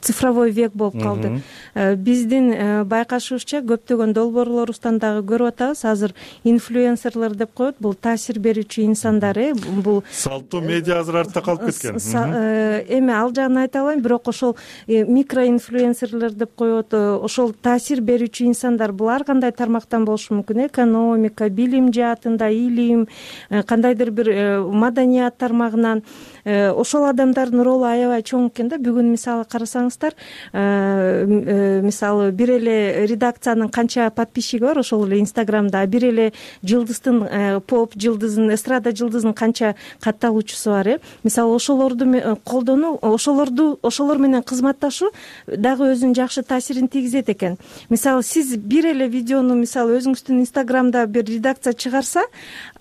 цифровой век болуп калды. Биздин байкашыбызча көптөгөн долбоорлорубуздан дагы көрүп атабыз. Азыр инфлюенсерлер деп коет, бул таасир берүүчү инсандар, э бул салттуу медиа азыр артта калып кеткен. Эми ал жагын айта албайм, бирок ошол микроинфлюенсерлер деп коет, ошол таасир берүүчү инсандар бул ар кандай тармактан болушу мүмкүн. Экономика, билим жаатында, илим, кандайдыр бир маданият тармагынан ошол адамдардын ролу аябай чоң экен да. Бүгүн мисалы карасаңыздар, мисалы бир эле редакциянын канча подписчиги бар ошол эле Инстаграмда, бир эле жылдыздын, поп жылдыздын, эстрада жылдыздын канча катталуучусу бар, э. Мисалы ошолорду колдонуу, ошолорду ошолор менен кызматташуу дагы өзүнүн жакшы таасирин тийгизет экен. Мисалы сиз бир эле видеону мисалы өзүңүздүн Инстаграмда бир редакция чыгарса,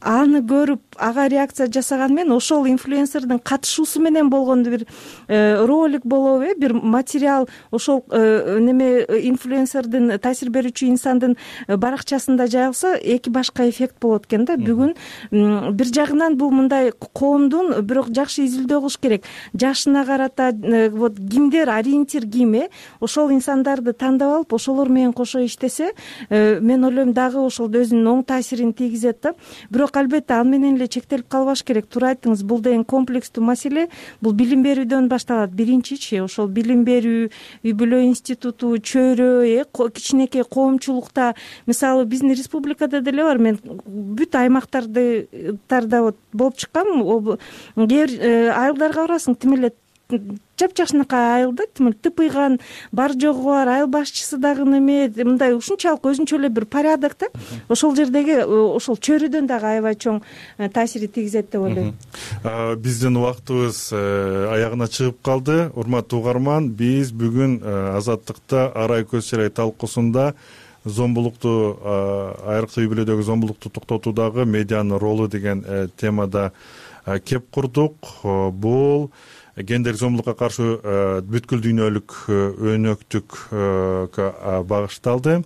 аны көрүп ага реакция жасаган менен ошол инфлюенсердин катышуусу менен болгон бир ролик болобу, э, бир материал ошол неме инфлюенсердин, таасир берүүчү инсандын баракчасында жайылса, эки башка эффект болот экен да. Бүгүн бир жагынан бул мындай коомдун бирок жакшы изилдөө кылыш керек. Жашына карата вот кимдер ориентир ким, э, ошол инсандарды тандап алып, ошолор менен кошо иштесе, мен ойлойм дагы ошол өзүнүн оң таасирин тийгизет да. Бирок албетте ал менен эле чектелип калбаш керек. Туура айттыңыз, бул деген комплекстүү туруктуу маселе бул билим берүүдөн башталат. Биринчичи ошол билим берүү, үй бүлө институту, чөйрө, э кичинекей коомчулукта, мисалы биздин республикада деле бар. Мен бүт аймактарды тарда вот болуп чыккам. Кээ бир айылдарга барасың, тим эле жапжакшынакай айыл да, тим эле тыпыйган, бар жогу бар, айыл башчысы дагы неме, мындай ушунчалык өзүнчө эле бир порядок да. Ошол жердеги ошол чөйрөдөн дагы аябай чоң таасири тийгизет деп ойлойм. Биздин убактыбыз аягына чыгып калды. Урматтуу угарман, биз бүгүн Азаттыкта арай көз чырай талкуусунда зомбулукту, айрыкча үй бүлөдөгү зомбулукту токтотуудагы медианын ролу деген темада кеп курдук. Бул гендердик зомбулукка каршы бүткүл дүйнөлүк өнөктүккө багышталды.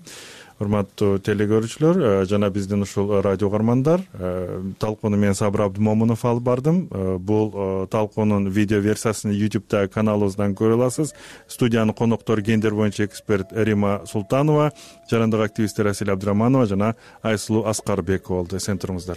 Урматтуу телегөрүүчүлөр жана биздин ушул радио угармандар, талкууну мен Сабыр Абдымомунов алып бардым. Бул талкуунун видео версиясын YouTube каналыбыздан көрө аласыз. Студиянын коноктору гендер боюнча эксперт Рима Султанова, жарандык активисттер Асель Абдыраманова жана Айсулуу Аскарбекова болду. Эсен туруңуздар.